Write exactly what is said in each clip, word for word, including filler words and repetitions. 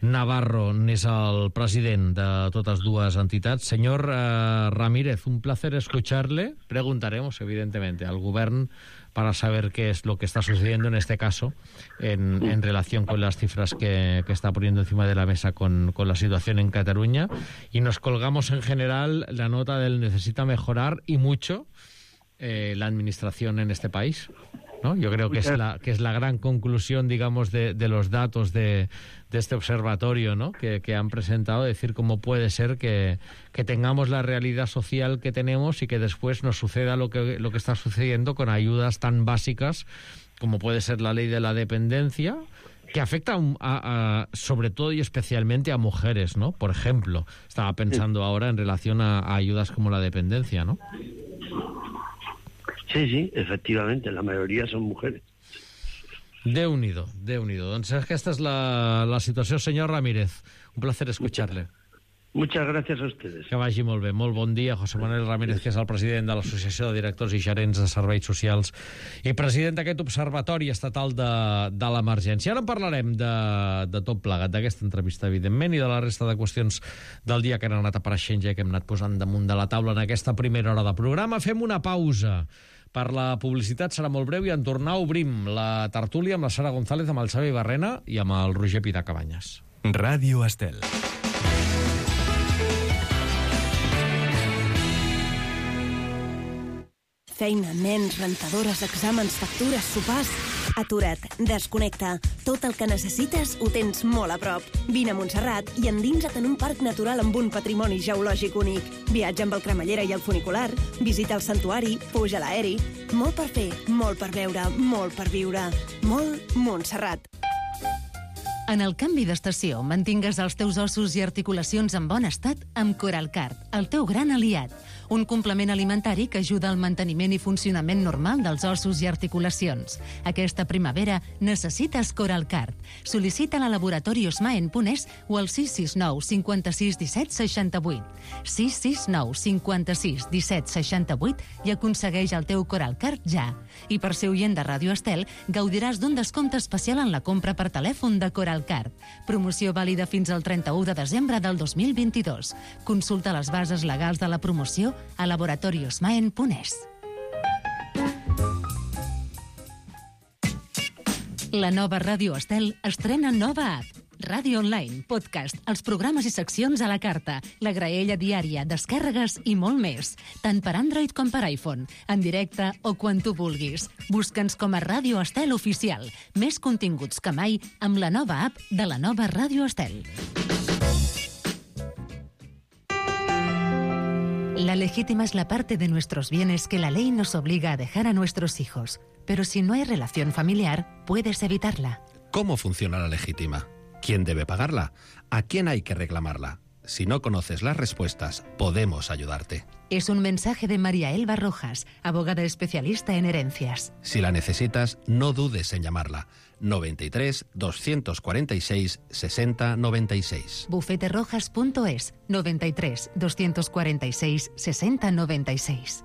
Navarro n'és el president de totes dues entitats. Señor uh, Ramírez, un placer escucharle. Preguntaremos, evidentemente, al gobierno para saber qué es lo que está sucediendo en este caso en, en relación con las cifras que, que está poniendo encima de la mesa con, con la situación en Cataluña. Y nos colgamos en general la nota del necesita mejorar y mucho eh, la administración en este país, ¿no? Yo creo que es la, que es la gran conclusión, digamos, de, de los datos de, de este observatorio, ¿no? que, que han presentado, decir cómo puede ser que, que tengamos la realidad social que tenemos y que después nos suceda lo que, lo que está sucediendo con ayudas tan básicas como puede ser la ley de la dependencia, que afecta a, a, sobre todo y especialmente a mujeres, ¿no? Por ejemplo, estaba pensando ahora en relación a, a ayudas como la dependencia, ¿no? Sí, sí, efectivamente, la mayoría son mujeres. Déu-n'hi-do, Déu-n'hi-do. Doncs aquesta és la, la situació. Senyor Ramírez, un placer escucharle. Muchas gracias a ustedes. Que vagi molt bé. Molt bon dia, José Manuel Ramírez, que és el president de l'Associació de Directors i Gerents de Serveis Socials i president d'aquest Observatori Estatal de, de l'Emergència. Ara en parlarem de, de tot plegat, d'aquesta entrevista, evidentment, i de la resta de qüestions del dia que han anat apareixent ja que hem anat posant damunt de la taula en aquesta primera hora de programa. Fem una pausa per la publicitat, serà molt breu, i en tornar obrim la tertúlia amb la Sara González, amb el Xavi Barrena i amb el Roger Pitar Cabanyes. Ràdio Estel. Feina, nens, rentadores, exàmens, factures, sopars... Atura't, desconnecta. Tot el que necessites ho tens molt a prop. Vine a Montserrat i endinsa't en un parc natural amb un patrimoni geològic únic. Viatja amb el cremallera i el funicular, visita el santuari, puja a l'aeri... Molt per fer, molt per veure, molt per viure. Molt Montserrat. En el canvi d'estació, mantingues els teus ossos i articulacions en bon estat amb Coralcard, el teu gran aliat. Un complement alimentari que ajuda al manteniment i funcionament normal dels ossos i articulacions. Aquesta primavera necessites Coralcard. Sol·licita-la a laboratori Osmaen punt es o al sis sis nou cinquanta-sis disset seixanta-vuit. sis sis nou cinquanta-sis disset seixanta-vuit i aconsegueix el teu Coralcard ja. I per ser oient de Ràdio Estel, gaudiràs d'un descompte especial en la compra per telèfon de Coralcard. Promoció vàlida fins al trenta-u de desembre del dos mil vint-i-dos. Consulta les bases legals de la promoció a laboratori Osmaen punt es. La nova Ràdio Estel estrena nova app. Ràdio online, podcast, els programes i seccions a la carta, la graella diària, descàrregues i molt més. Tant per Android com per iPhone, en directe o quan tu vulguis. Busca'ns com a Ràdio Estel Oficial. Més continguts que mai amb la nova app de la nova Ràdio Estel. La legítima es la parte de nuestros bienes que la ley nos obliga a dejar a nuestros hijos. Pero si no hay relación familiar, puedes evitarla. ¿Cómo funciona la legítima? ¿Quién debe pagarla? ¿A quién hay que reclamarla? Si no conoces las respuestas, podemos ayudarte. Es un mensaje de María Elba Rojas, abogada especialista en herencias. Si la necesitas, no dudes en llamarla. noventa y tres, doscientos cuarenta y seis, sesenta noventa y seis. bufete rojas punto es, noventa y tres, doscientos cuarenta y seis, sesenta noventa y seis.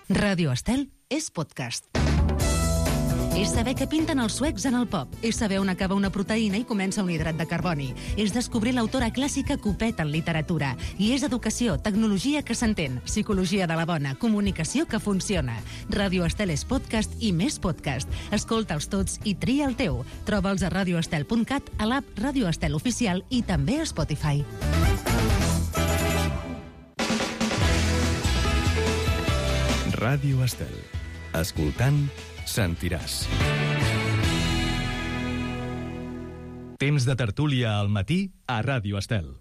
Ràdio Estel és podcast. És saber què pinten els suecs en el pop. És saber on acaba una proteïna i comença un hidrat de carboni. És descobrir l'autora clàssica Copet en literatura. I és educació, tecnologia que s'entén, psicologia de la bona, comunicació que funciona. Ràdio Estel és podcast i més podcast. Escolta'ls tots i tria el teu. Troba'ls a radioestel punt cat, a l'app Ràdio Estel Oficial i també a Spotify. Ràdio Estel. Escoltant, sentiràs. Temps de tertúlia al matí a Ràdio Estel.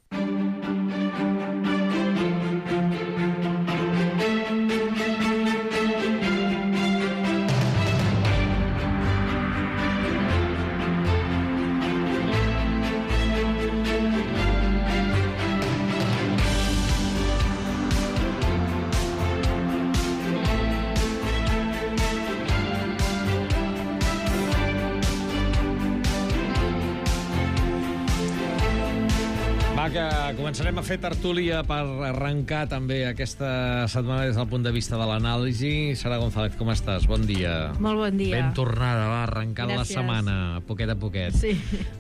Va, que començarem a fer tertúlia per arrencar també aquesta setmana des del punt de vista de l'anàlisi. Sara González, com estàs? Bon dia. Molt bon dia. Ben tornada, va, arrencant la Gràcies. setmana, poquet a poquet. Sí.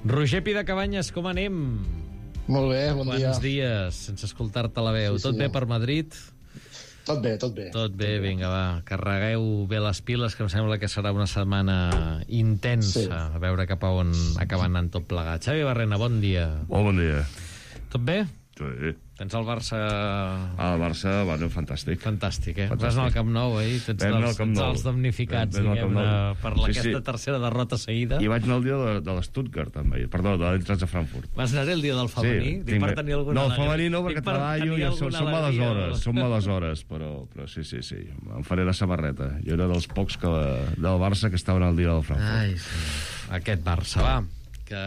Roger Pidecabanyes, com anem? Molt bé, bon dia. Quants dies sense escoltar-te la veu. Sí, Tot sí. bé per Madrid? Tot bé, tot bé. Tot bé, vinga, va. Carregueu bé les piles, que em sembla que serà una setmana intensa. Sí. A veure cap a on acaba anant tot plegat. Xavi Barrena, bon dia. Molt bon dia. Tot bé? Sí. Tens el Barça... Ah, el Barça, bueno, fantàstic. Fantàstic, eh? Fantàstic. Vas anar al Camp Nou, eh? Tens Vam anar al dels, Camp Nou. dels damnificats, Vam anar al Camp diguem-ne, Nou. per la, Sí, aquesta sí. tercera derrota seguida. I vaig anar el dia de, de l'Stuttgart, també. Perdó, de l'entrats de Frankfurt. Vas anar el dia del femení? Sí, Dic, per tenir alguna no, el alegria. femení no, Dic, perquè per treballo tenir i són, alguna són males alegria. hores, són males hores, però, però sí, sí, sí, em faré la samarreta. Jo era dels pocs que, del Barça que estaven al dia del Frankfurt. Ai, sí. Aquest Barça, va, que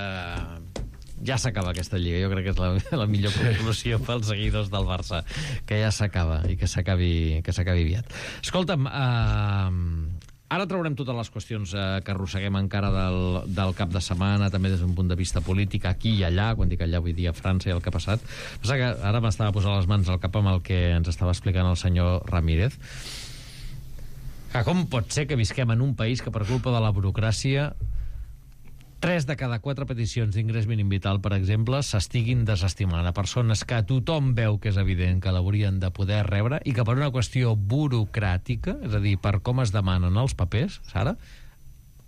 ja s'acaba aquesta lliga. Jo crec que és la, la millor conclusió pels seguidors del Barça, que ja s'acaba i que s'acabi que s'acabi aviat. Escolta'm, eh, ara traurem totes les qüestions eh, que arrosseguem encara del, del cap de setmana, també des d'un punt de vista polític, aquí i allà, quan dic allà vull dir a França i el que ha passat. Passa que ara m'estava posant les mans al cap amb el que ens estava explicant el senyor Ramírez. Que com pot ser que visquem en un país que per culpa de la burocràcia tres de cada quatre peticions d'ingrés mínim vital, per exemple, s'estiguin desestimant a persones que tothom veu que és evident que l'haurien de poder rebre i que per una qüestió burocràtica, és a dir, per com es demanen els papers, Sara,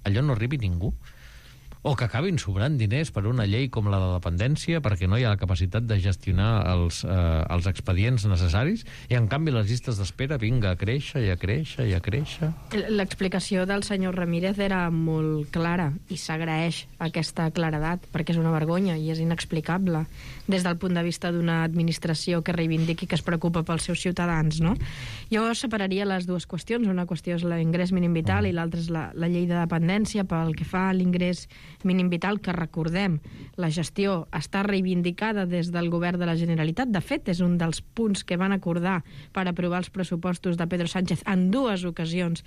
allò no arribi ningú. O que acabin sobrant diners per una llei com la de dependència perquè no hi ha la capacitat de gestionar els, eh, els expedients necessaris i en canvi les llistes d'espera vinga a créixer i a créixer i a créixer. L'explicació del senyor Ramírez era molt clara i s'agraeix aquesta claredat perquè és una vergonya i és inexplicable des del punt de vista d'una administració que reivindiqui que es preocupa pels seus ciutadans, no? Jo separaria les dues qüestions. Una qüestió és l'ingrés mínim vital i l'altra és la, la llei de dependència. Pel que fa a l'ingrés mínim vital, que recordem, la gestió està reivindicada des del govern de la Generalitat. De fet, és un dels punts que van acordar per aprovar els pressupostos de Pedro Sánchez en dues ocasions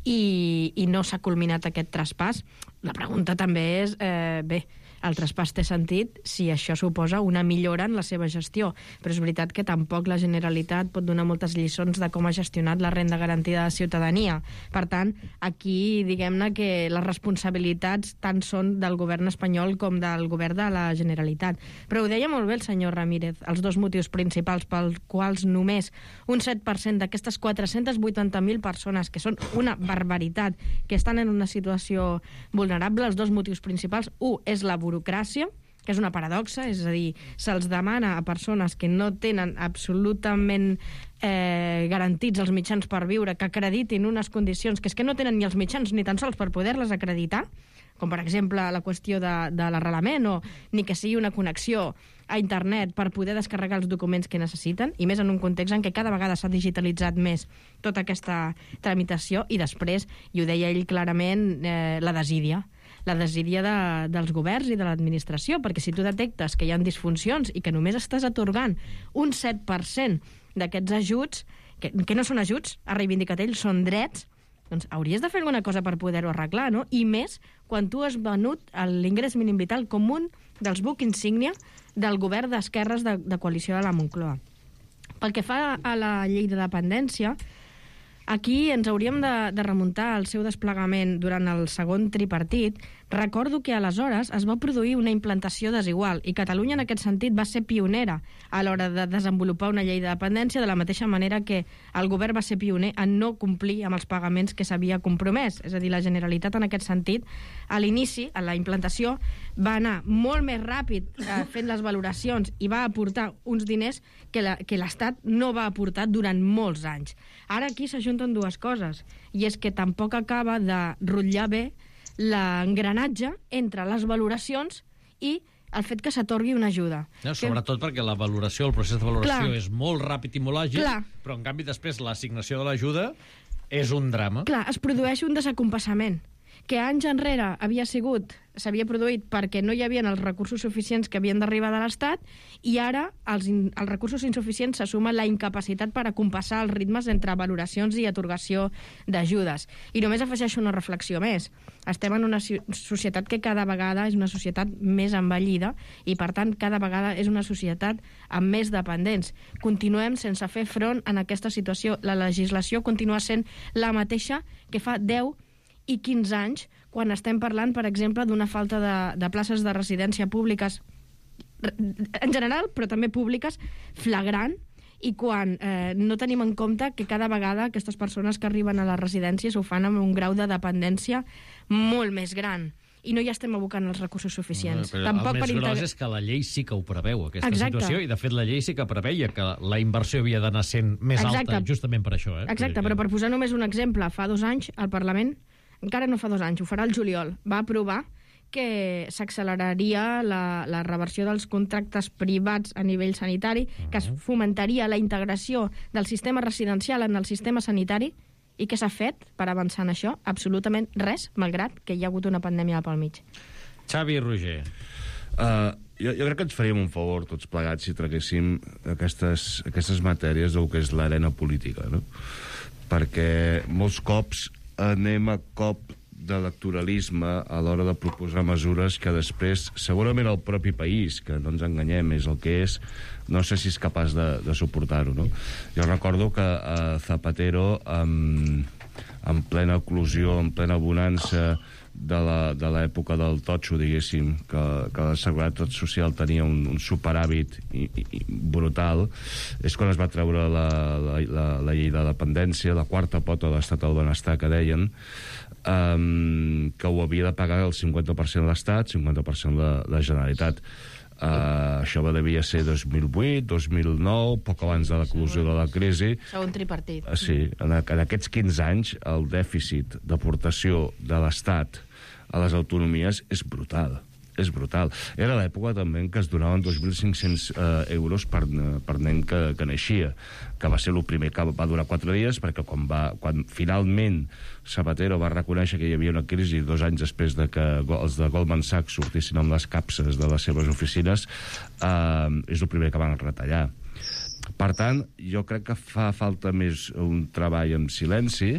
i, i no s'ha culminat aquest traspàs. La pregunta també és, eh, bé, el traspàs té sentit si això suposa una millora en la seva gestió, però és veritat que tampoc la Generalitat pot donar moltes lliçons de com ha gestionat la renda garantida de ciutadania. Per tant, aquí diguem-ne que les responsabilitats tant són del govern espanyol com del govern de la Generalitat. Però ho deia molt bé el senyor Ramírez, els dos motius principals pels quals només un set per cent d'aquestes quatre-cents vuitanta mil persones, que són una barbaritat, que estan en una situació vulnerable, els dos motius principals, un és la burocràcia, que és una paradoxa, és a dir, se'ls demana a persones que no tenen absolutament eh, garantits els mitjans per viure, que acreditin unes condicions que és que no tenen ni els mitjans ni tan sols per poder-les acreditar, com per exemple la qüestió de, de l'arrelament o ni que sigui una connexió a internet per poder descarregar els documents que necessiten, i més en un context en què cada vegada s'ha digitalitzat més tota aquesta tramitació, i després, i ho deia ell clarament, eh, la desídia la desídia de, dels governs i de l'administració, perquè si tu detectes que hi ha disfuncions i que només estàs atorgant un set per cent d'aquests ajuts, que, que no són ajuts, ha reivindicat ell, són drets, doncs hauries de fer alguna cosa per poder-ho arreglar, no? I més quan tu has venut l'ingrés mínim vital com un dels bucs insígnia del govern d'esquerres de, de coalició de la Moncloa. Pel que fa a la llei de dependència, aquí ens hauríem de, de remuntar al seu desplegament durant el segon tripartit. Recordo que aleshores es va produir una implantació desigual i Catalunya en aquest sentit va ser pionera a l'hora de desenvolupar una llei de dependència, de la mateixa manera que el govern va ser pioner en no complir amb els pagaments que s'havia compromès. És a dir, la Generalitat en aquest sentit, a l'inici, a la implantació, va anar molt més ràpid eh, fent les valoracions i va aportar uns diners que la, que l'Estat no va aportar durant molts anys. Ara aquí s'ajunten dues coses, i és que tampoc acaba de rotllar bé l'engranatge entre les valoracions i el fet que s'atorgui una ajuda. No, sobretot que... perquè la valoració, el procés de valoració Clar. és molt ràpid i molt àgil, Clar. però en canvi després l'assignació de l'ajuda és un drama. Clar, es produeix un desacompassament. que anys enrere havia sigut, s'havia produït perquè no hi havia els recursos suficients que havien d'arribar de l'Estat, i ara els, in, els recursos insuficients se suma la incapacitat per acompassar els ritmes entre valoracions i atorgació d'ajudes. I només afegeixo una reflexió més. Estem en una societat que cada vegada és una societat més envellida i, per tant, cada vegada és una societat amb més dependents. Continuem sense fer front en aquesta situació. La legislació continua sent la mateixa que fa deu i quinze anys, quan estem parlant, per exemple, d'una falta de, de places de residència públiques, en general, però també públiques, flagrant, i quan eh, no tenim en compte que cada vegada aquestes persones que arriben a les residències ho fan amb un grau de dependència molt més gran. I no hi estem abocant els recursos suficients. No, Tampoc el més per gros és que la llei sí que ho preveu, aquesta Exacte. situació, i de fet la llei sí que preveia que la inversió havia d'anar sent més Exacte. alta, justament per això. Eh? Exacte, però per posar només un exemple, fa dos anys el Parlament, encara no fa dos anys, ho farà el juliol, va aprovar que s'acceleraria la, la reversió dels contractes privats a nivell sanitari, que es fomentaria la integració del sistema residencial en el sistema sanitari. I què s'ha fet per avançar en això? Absolutament res, malgrat que hi ha hagut una pandèmia pel mig. Xavi i Roger. Uh, jo, jo crec que ens faríem un favor tots plegats si traguéssim aquestes, aquestes matèries del que és l'arena política, no? Perquè molts cops anem a cop d'electoralisme a l'hora de proposar mesures que després, segurament el propi país, que no ens enganyem, és el que és, no sé si és capaç de, de suportar-ho, no? Jo recordo que a Zapatero, en, en plena eclosió, en plena bonança de l'època del totxo, diguéssim, que, que la Seguretat Social tenia un, un superàvit i, i, i brutal, és quan es va treure la, la, la, la llei de dependència, la quarta pota de l'estat del benestar, que deien, um, que ho havia de pagar el cinquanta per cent l'Estat, cinquanta per cent la, la Generalitat. Uh, això va devia ser dos mil vuit, dos mil nou, poc abans de l'eclosió de la crisi. Segon tripartit. Uh, sí, en, en aquests quinze anys el dèficit d'aportació de l'Estat a les autonomies és brutal. És brutal. Era l'època també en què es donaven dos mil cinc-cents uh, euros per, per nen que, que naixia, que va ser el primer que va durar quatre dies, perquè quan, va, quan finalment Zapatero va reconèixer que hi havia una crisi dos anys després de que els de Goldman Sachs sortissin amb les capses de les seves oficines, uh, és el primer que van retallar. Per tant, jo crec que fa falta més un treball en silenci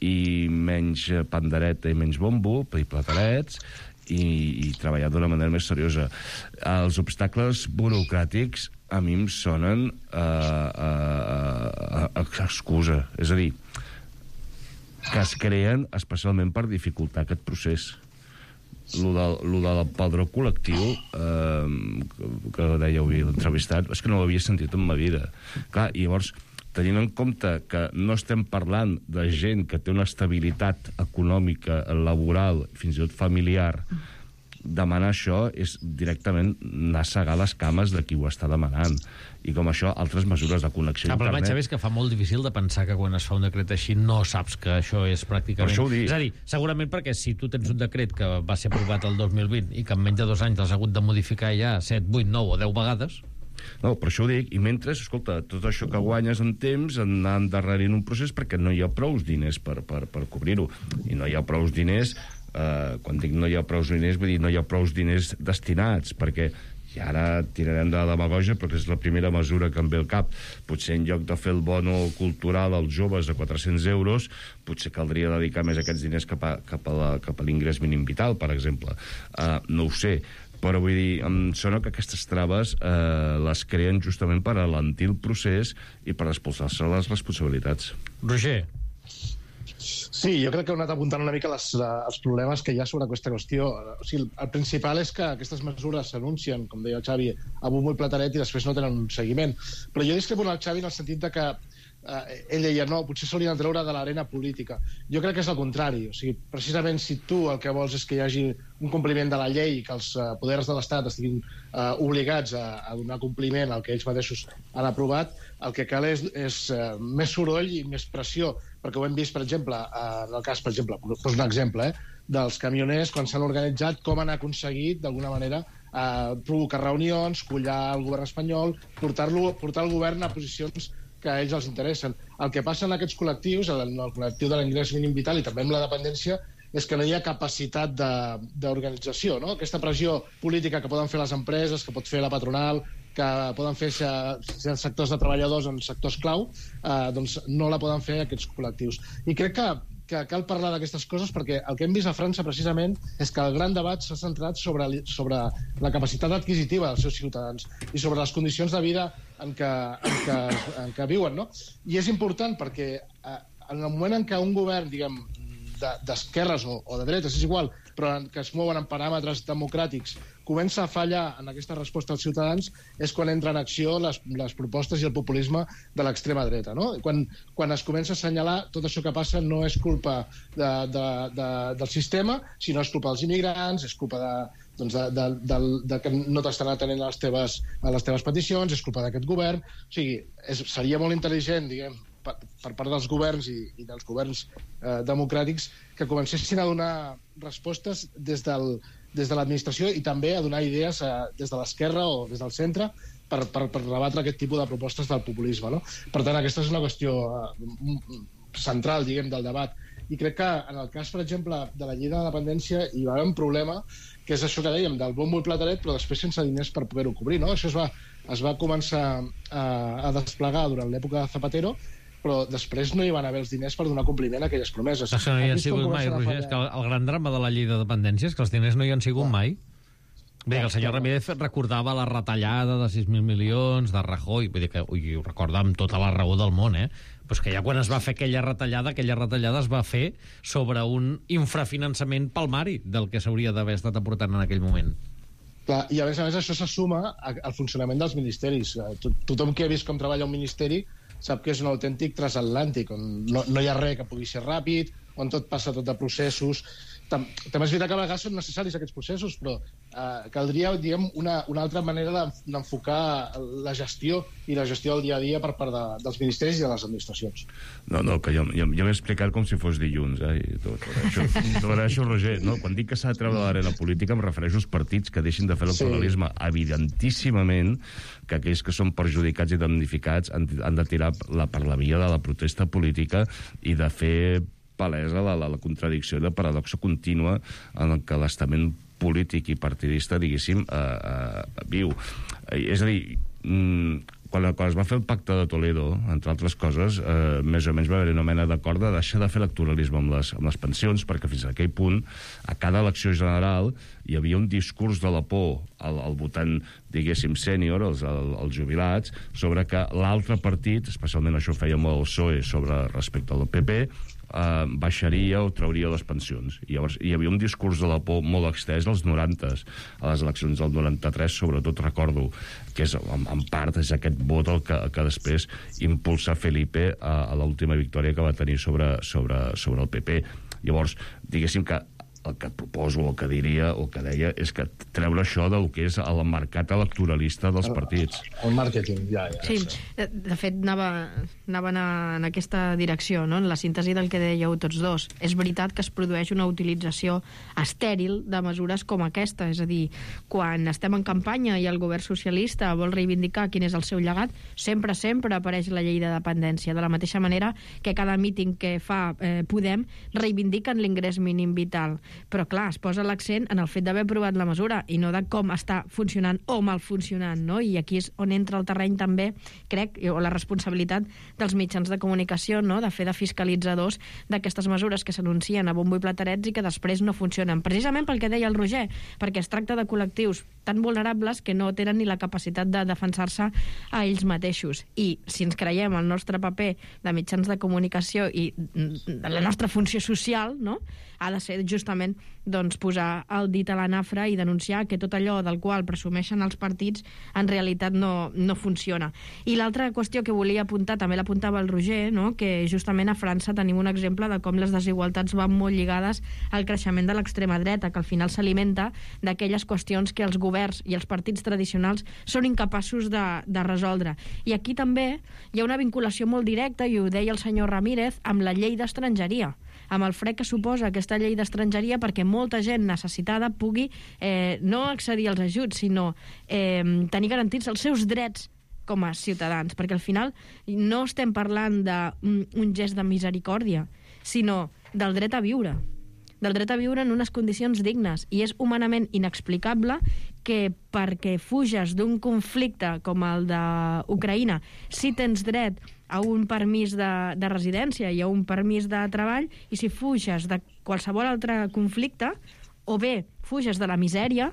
i menys pandereta i menys bombo i platarets, i, i treballar d'una manera més seriosa. Els obstacles burocràtics a mi em sonen a, a, a, a excusa. És a dir, que es creen especialment per dificultar aquest procés. Lo, de, lo del padró col·lectiu, eh, que, que deia avui l'entrevistat, és que no l'havia sentit en ma vida. Clar, i llavors, tenint en compte que no estem parlant de gent que té una estabilitat econòmica, laboral, fins i tot familiar, demanar això és directament anar a segar les cames de qui ho està demanant. I com això, altres mesures de connexió a internet... internet... El problema, és que fa molt difícil de pensar que quan es fa un decret així no saps que això és pràcticament... Per això ho dic. És a dir, segurament perquè si tu tens un decret que va ser aprovat el dos mil vint i que en menys de dos anys l'has hagut de modificar ja set, vuit, nou o deu vegades... No, per això ho dic. I mentre, escolta, tot això que guanyes en temps anar endarrerint un procés perquè no hi ha prous diners per, per, per cobrir-ho. I no hi ha prous diners, eh, quan dic no hi ha prous diners, vull dir no hi ha prous diners destinats, perquè i ara tirarem de la demagogia perquè és la primera mesura que em ve al cap. Potser en lloc de fer el bono cultural als joves a quatre-cents euros, potser caldria dedicar més aquests diners cap a, cap a, la, cap a l'ingrés mínim vital, per exemple. Uh, no ho sé. Però vull dir, em sona que aquestes traves eh, les creen justament per alentir el procés i per expulsar-se les responsabilitats. Roger. Sí, jo crec que heu anat apuntant una mica les, els problemes que hi ha sobre aquesta qüestió. O sigui, el principal és que aquestes mesures s'anuncien, com deia el Xavi, a bombo i plataret i després no tenen un seguiment. Però jo discrepo en el Xavi en el sentit de que eh, ell deia, no, potser s'haurien de treure de l'arena política. Jo crec que és el contrari. O sigui, precisament si tu el que vols és que hi hagi un compliment de la llei i que els uh, poders de l'Estat estiguin uh, obligats a, a donar compliment al que ells mateixos han aprovat, el que cal és, és uh, més soroll i més pressió, perquè ho hem vist, per exemple, uh, en el cas, per exemple, poso un exemple, eh, dels camioners, quan s'han organitzat, com han aconseguit, d'alguna manera, uh, provocar reunions, collar el govern espanyol, portar-lo, portar el govern a posicions que a ells els interessen. El que passa en aquests col·lectius, en el col·lectiu de l'ingrés mínim vital i també amb la dependència, és que no hi ha capacitat d'organització, no? Aquesta pressió política que poden fer les empreses, que pot fer la patronal, que poden fer els sectors de treballadors en sectors clau, eh, doncs no la poden fer aquests col·lectius. I crec que, que cal parlar d'aquestes coses perquè el que hem vist a França precisament és que el gran debat s'ha centrat sobre, sobre la capacitat adquisitiva dels seus ciutadans i sobre les condicions de vida en què, en què, en què viuen, no? I és important perquè eh, en el moment en què un govern, diguem, d'esquerres o, o de dretes, és igual, però que es mouen en paràmetres democràtics, comença a fallar en aquesta resposta als ciutadans, és quan entra en acció les, les propostes i el populisme de l'extrema dreta, no? Quan, quan es comença a assenyalar tot això que passa no és culpa de, de, de, del sistema, sinó és culpa dels immigrants, és culpa de, doncs de, de, de, de que no t'estan atenent a les teves, a les teves peticions, és culpa d'aquest govern. O sigui, és, seria molt intel·ligent, diguem, per, per part dels governs i, i dels governs eh, democràtics que comencessin a donar respostes des, del, des de l'administració i també a donar idees eh, des de l'esquerra o des del centre per, per, per rebatre aquest tipus de propostes del populisme, no? Per tant, aquesta és una qüestió eh, central, diguem, del debat. I crec que en el cas, per exemple, de la llei de la dependència hi va haver un problema, que és això que dèiem, del bombo i plataret, però després sense diners per poder-ho cobrir, no? Això es va, es va començar a, a desplegar durant l'època de Zapatero, però després no hi van haver els diners per donar compliment a aquelles promeses. Això no hi han sigut mai, Roger. És que el gran drama de la llei de dependència és que els diners no hi han sigut clar. mai. Bé, que el senyor Ramírez recordava la retallada de sis mil milions de Rajoy, vull dir que ui, ho recorda amb tota la raó del món, eh? Però és que ja quan es va fer aquella retallada, aquella retallada es va fer sobre un infrafinançament palmari del que s'hauria d'haver estat aportant en aquell moment. Clar, i a més a més això se suma al funcionament dels ministeris. Tothom que ha vist com treballa un ministeri sap que és un autèntic transatlàntic, on no, no hi ha res que pugui ser ràpid, on tot passa tot de processos. Tam També és veritat que a vegades són necessaris aquests processos, però eh, caldria, diguem, una, una altra manera d'enfocar la gestió i la gestió del dia a dia per part de, dels ministeris i de les administracions. No, no, que jo, jo, jo m'he explicat com si fos dilluns, eh? I tot, això, tot això, Roger, no? Quan dic que s'ha de treure de l'arena política em refereixo als partits que deixin de fer electoralisme. Sí. Evidentíssimament que aquells que són perjudicats i damnificats han, han de tirar la, per la via de la protesta política i de fer palesa la, la, la contradicció i la paradoxa contínua en el que l'estament polític i partidista, diguéssim, eh, eh, viu. Eh, és a dir, mm, quan, quan es va fer el pacte de Toledo, entre altres coses, eh, més o menys va haver una mena d'acord de deixar de fer electoralisme amb les, amb les pensions, perquè fins a aquell punt, a cada elecció general, hi havia un discurs de la por al, al votant, diguéssim, sènior, els, el, els jubilats, sobre que l'altre partit, especialment això feia molt el P S O E sobre respecte al P P, Uh, baixaria o trauria les pensions. I llavors hi havia un discurs de la por molt extès als norantes, a les eleccions del noranta-tres, sobretot recordo que és, en, en part és aquest vot el que, que després impulsa Felipe a, a l'última victòria que va tenir sobre, sobre, sobre el P P. Llavors, diguéssim que el que proposo, el que diria, o que deia, és que treure això del que és el mercat electoralista dels partits. El màrqueting, ja, ja. Sí, de, de fet, anava, anava en aquesta direcció, no? En la síntesi del que dèieu tots dos. És veritat que es produeix una utilització estèril de mesures com aquesta, és a dir, quan estem en campanya i el govern socialista vol reivindicar quin és el seu llegat, sempre, sempre apareix la llei de dependència, de la mateixa manera que cada míting que fa eh, Podem reivindiquen l'ingrés mínim vital. Però, clar, es posa l'accent en el fet d'haver aprovat la mesura i no de com està funcionant o mal funcionant, no? I aquí és on entra el terreny també, crec, o la responsabilitat dels mitjans de comunicació, no? De fer de fiscalitzadors d'aquestes mesures que s'anuncien a bombo i platerets i que després no funcionen. Precisament pel que deia el Roger, perquè es tracta de col·lectius tan vulnerables que no tenen ni la capacitat de defensar-se a ells mateixos. I si ens creiem el nostre paper de mitjans de comunicació i de la nostra funció social, no? Ha de ser justament doncs, posar el dit a la nafra i denunciar que tot allò del qual presumeixen els partits en realitat no, no funciona. I l'altra qüestió que volia apuntar, també l'apuntava el Roger, no? Que justament a França tenim un exemple de com les desigualtats van molt lligades al creixement de l'extrema dreta, que al final s'alimenta d'aquelles qüestions que els governs i els partits tradicionals són incapaços de, de resoldre. I aquí també hi ha una vinculació molt directa, i ho deia el senyor Ramírez, amb la llei d'estrangeria, amb el fre que suposa aquesta llei d'estrangeria perquè molta gent necessitada pugui eh, no accedir als ajuts, sinó eh, tenir garantits els seus drets com a ciutadans, perquè al final no estem parlant d'un un gest de misericòrdia, sinó del dret a viure, del dret a viure en unes condicions dignes. I és humanament inexplicable que perquè fuges d'un conflicte com el d'Ucraïna, si tens dret a un permís de, de residència i a un permís de treball, i si fuges de qualsevol altre conflicte, o bé fuges de la misèria,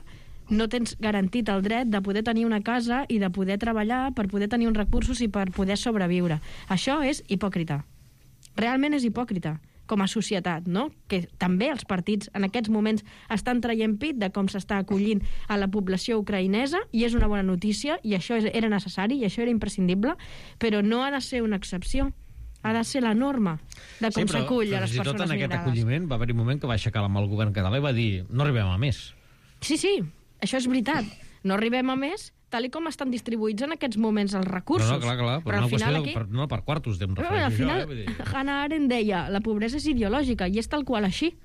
no tens garantit el dret de poder tenir una casa i de poder treballar per poder tenir uns recursos i per poder sobreviure. Això és hipòcrita. Realment és hipòcrita, com a societat, no? Que també els partits en aquests moments estan traient pit de com s'està acollint a la població ucraïnesa, i és una bona notícia, i això era necessari, i això era imprescindible, però no ha de ser una excepció. Ha de ser la norma de com s'acull a les persones migrades. Sí, però fins i tot en aquest acolliment va haver un moment que va aixecar la mà al govern català i va dir no arribem a més. Sí, sí, això és veritat. No arribem a més, tal i com estan distribuïts en aquests moments els recursos. No, no, clar, clar, però, però al final aquí... Per, no, per quartos d'em referència. Al final, jo, eh, dir... Hannah Arendt deia la pobresa és ideològica, i és tal qual així.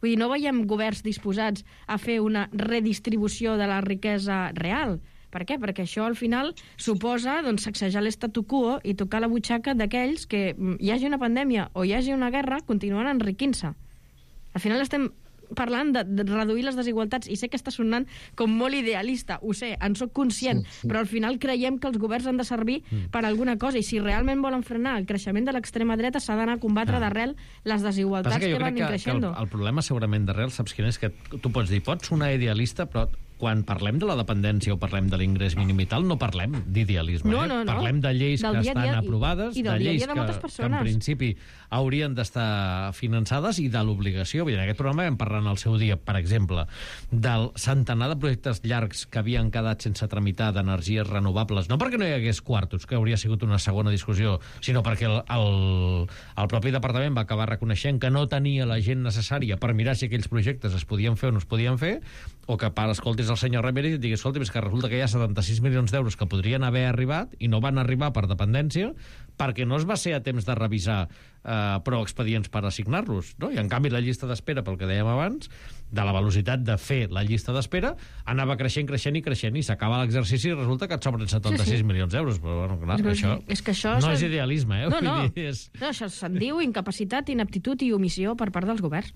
Vull dir, no veiem governs disposats a fer una redistribució de la riquesa real. Per què? Perquè això al final suposa doncs, sacsejar l'estatu quo i tocar la butxaca d'aquells que hi hagi una pandèmia o hi hagi una guerra, continuen enriquint-se. Al final estem parlant de, de reduir les desigualtats, i sé que està sonant com molt idealista, ho sé, en soc conscient, sí, sí. Però al final creiem que els governs han de servir mm. per alguna cosa, i si realment volen frenar el creixement de l'extrema dreta s'ha d'anar a combatre ah. d'arrel les desigualtats que, que van creixent. El, el problema segurament d'arrel, saps quin és? Que tu pots dir, pots sonar idealista, però quan parlem de la dependència o parlem de l'ingrés mínim i tal, no parlem d'idealisme. No, eh? no, no. Parlem de lleis del que dia estan dia, aprovades, i, i de lleis de que, que en principi haurien d'estar finançades, i de l'obligació. En aquest programa vam parlar en el seu dia, per exemple, del centenar de projectes llargs que havien quedat sense tramitar d'energies renovables, no perquè no hi hagués quartos, que hauria sigut una segona discussió, sinó perquè el, el, el propi departament va acabar reconeixent que no tenia la gent necessària per mirar si aquells projectes es podien fer o no es podien fer, o que per escoltis el senyor Ramírez i et digui, escolta, és que resulta que hi ha setanta-sis milions d'euros que podrien haver arribat i no van arribar per dependència perquè no es va ser a temps de revisar eh, prou expedients per assignar-los, no? I en canvi la llista d'espera, pel que dèiem abans, de la velocitat de fer la llista d'espera, anava creixent, creixent i creixent, i s'acaba l'exercici i resulta que et sobren setanta-sis sí, sí. milions d'euros. Però, bueno, clar, és això, és que això no és idealisme, eh? No, no, Vull dir, és... no això se'n diu incapacitat, inaptitud i omissió per part dels governs.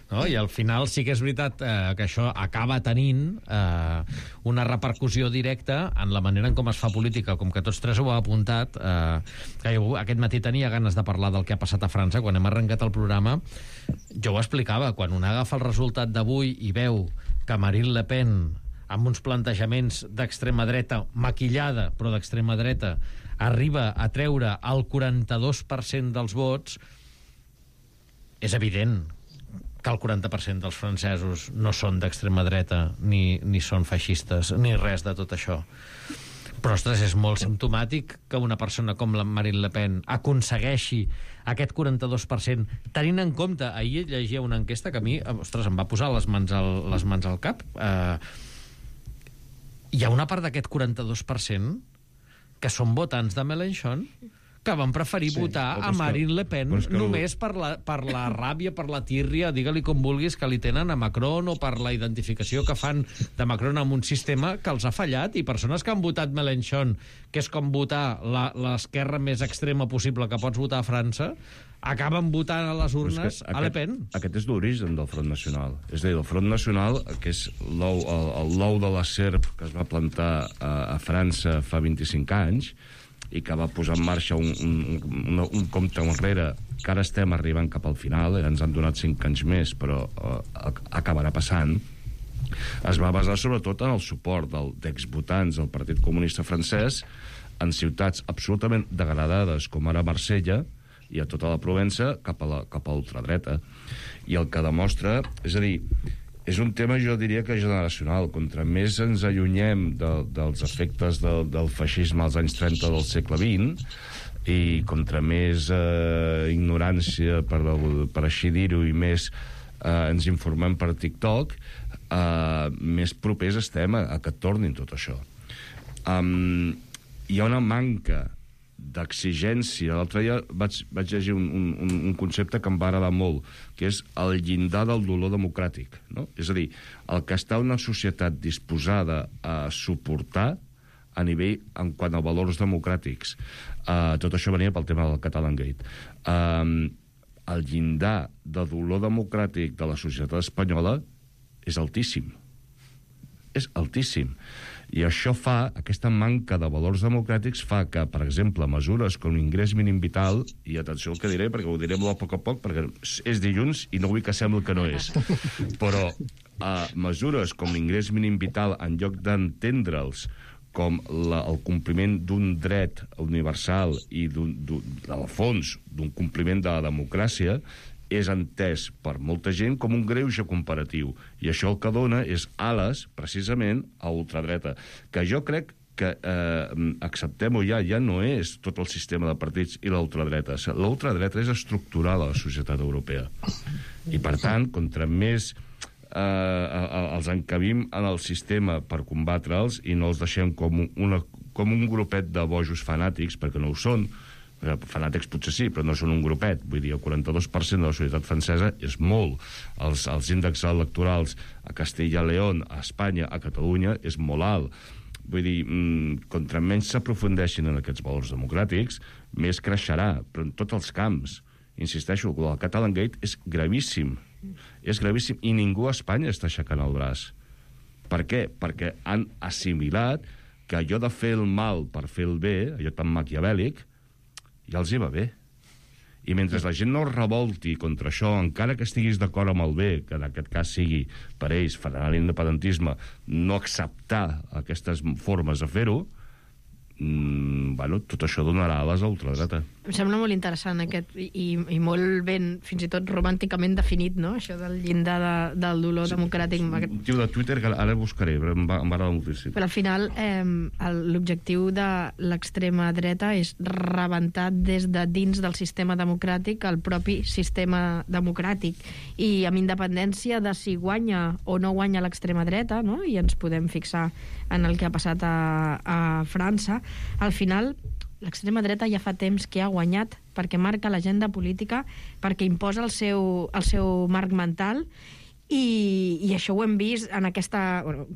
No? I al final sí que és veritat eh, que això acaba tenint eh, una repercussió directa en la manera en com es fa política, com que tots tres ho heu apuntat. Eh, que jo aquest matí tenia ganes de parlar del que ha passat a França. Quan hem arrencat el programa, jo ho explicava. Quan un agafa el resultat d'avui i veu que Marine Le Pen, amb uns plantejaments d'extrema dreta, maquillada, però d'extrema dreta, arriba a treure el quaranta-dos per cent dels vots, és evident que el quaranta per cent dels francesos no són d'extrema dreta, ni, ni són feixistes, ni res de tot això. Però, ostres, és molt simptomàtic que una persona com la Marine Le Pen aconsegueixi aquest quaranta-dos per cent, tenint en compte, ahir llegia una enquesta que a mi, ostres, em va posar les mans al, les mans al cap. Eh, hi ha una part d'aquest quaranta-dos per cent que són votants de Mélenchon, que van preferir sí, votar a Marine Le Pen que... només per la, per la ràbia, per la tírria, digue-li com vulguis, que li tenen a Macron, o per la identificació que fan de Macron amb un sistema que els ha fallat, i persones que han votat Mélenchon, que és com votar l'esquerra més extrema possible que pots votar a França, acaben votant a les urnes a Le Pen. Aquest és l'origen del Front Nacional. És a dir, el Front Nacional, que és l'ou el, el de la serp que es va plantar a, a França fa vint-i-cinc anys, i que va posar en marxa un, un, un, un compte enrere, que ara estem arribant cap al final, eh? Ens han donat cinc anys més, però eh, acabarà passant, es va basar sobretot en el suport d'exvotants del Partit Comunista francès en ciutats absolutament degradades, com ara Marsella, i a tota la Provença, cap a la, cap a l'ultradreta. I el que demostra, és a dir, és un tema, jo diria que generacional. Contra més ens allunyem de, dels efectes de, del feixisme als anys trenta del segle vint, i contra més eh, ignorància, per, per així dir-ho, i més eh, ens informem per TikTok, eh, més propers estem a, a que tornin tot això. Um, hi ha una manca d'exigència. L'altre dia vaig, vaig llegir un, un, un concepte que em va agradar molt, que és el llindar del dolor democràtic, no? És a dir, el que està una societat disposada a suportar a nivell en quant a valors democràtics. Uh, tot això venia pel tema del Catalangate. Uh, el llindar de dolor democràtic de la societat espanyola és altíssim. És altíssim. I això fa, aquesta manca de valors democràtics fa que, per exemple, mesures com l'ingrés mínim vital, i atenció al que diré, perquè ho diré molt a poc a poc, perquè és dilluns i no vull que sembli que no és, però uh, mesures com l'ingrés mínim vital, en lloc d'entendre'ls com la, el compliment d'un dret universal i, d'un, d'un, al fons, d'un compliment de la democràcia, és entès per molta gent com un greuge comparatiu. I això el que dona és ales, precisament, a ultradreta. Que jo crec que, eh, acceptem-ho ja, ja no és tot el sistema de partits i l'ultradreta. L'ultradreta és estructural a la societat europea. I, per tant, contra més eh, els encabim en el sistema per combatre'ls i no els deixem com, una, com un grupet de bojos fanàtics, perquè no ho són, fanàtics potser sí, però no són un grupet. Vull dir, el quaranta-dos per cent de la societat francesa és molt. Els, els índexs electorals a Castella i León, a Espanya, a Catalunya, és molt alt. Vull dir, mmm, contra menys s'aprofundeixin en aquests valors democràtics, més creixerà, però en tots els camps. Insisteixo, el Catalan Gate és gravíssim. És gravíssim, i ningú a Espanya està aixecant el braç. Per què? Perquè han assimilat que allò de fer el mal per fer el bé, allò tan maquiavèlic, ja els hi va bé. I mentre la gent no es revolti contra això, encara que estiguis d'acord amb el bé, que en aquest cas sigui per ells, frenar l'independentisme, no acceptar aquestes formes de fer-ho, mm, bueno, tot això donarà ales a ultradreta. Em sembla molt interessant aquest, i, i molt ben, fins i tot romànticament definit, no?, això del llindar de, del dolor sí, democràtic. Un tio de Twitter que ara buscaré, però em va, em va agradar moltíssim. Però al final eh, l'objectiu de l'extrema dreta és rebentar des de dins del sistema democràtic el propi sistema democràtic, i amb independència de si guanya o no guanya l'extrema dreta, no?, i ens podem fixar en el que ha passat a, a França, al final l'extrema dreta ja fa temps que ha guanyat perquè marca l'agenda política, perquè imposa el seu, el seu marc mental, i, i això ho hem vist en aquesta... Bueno,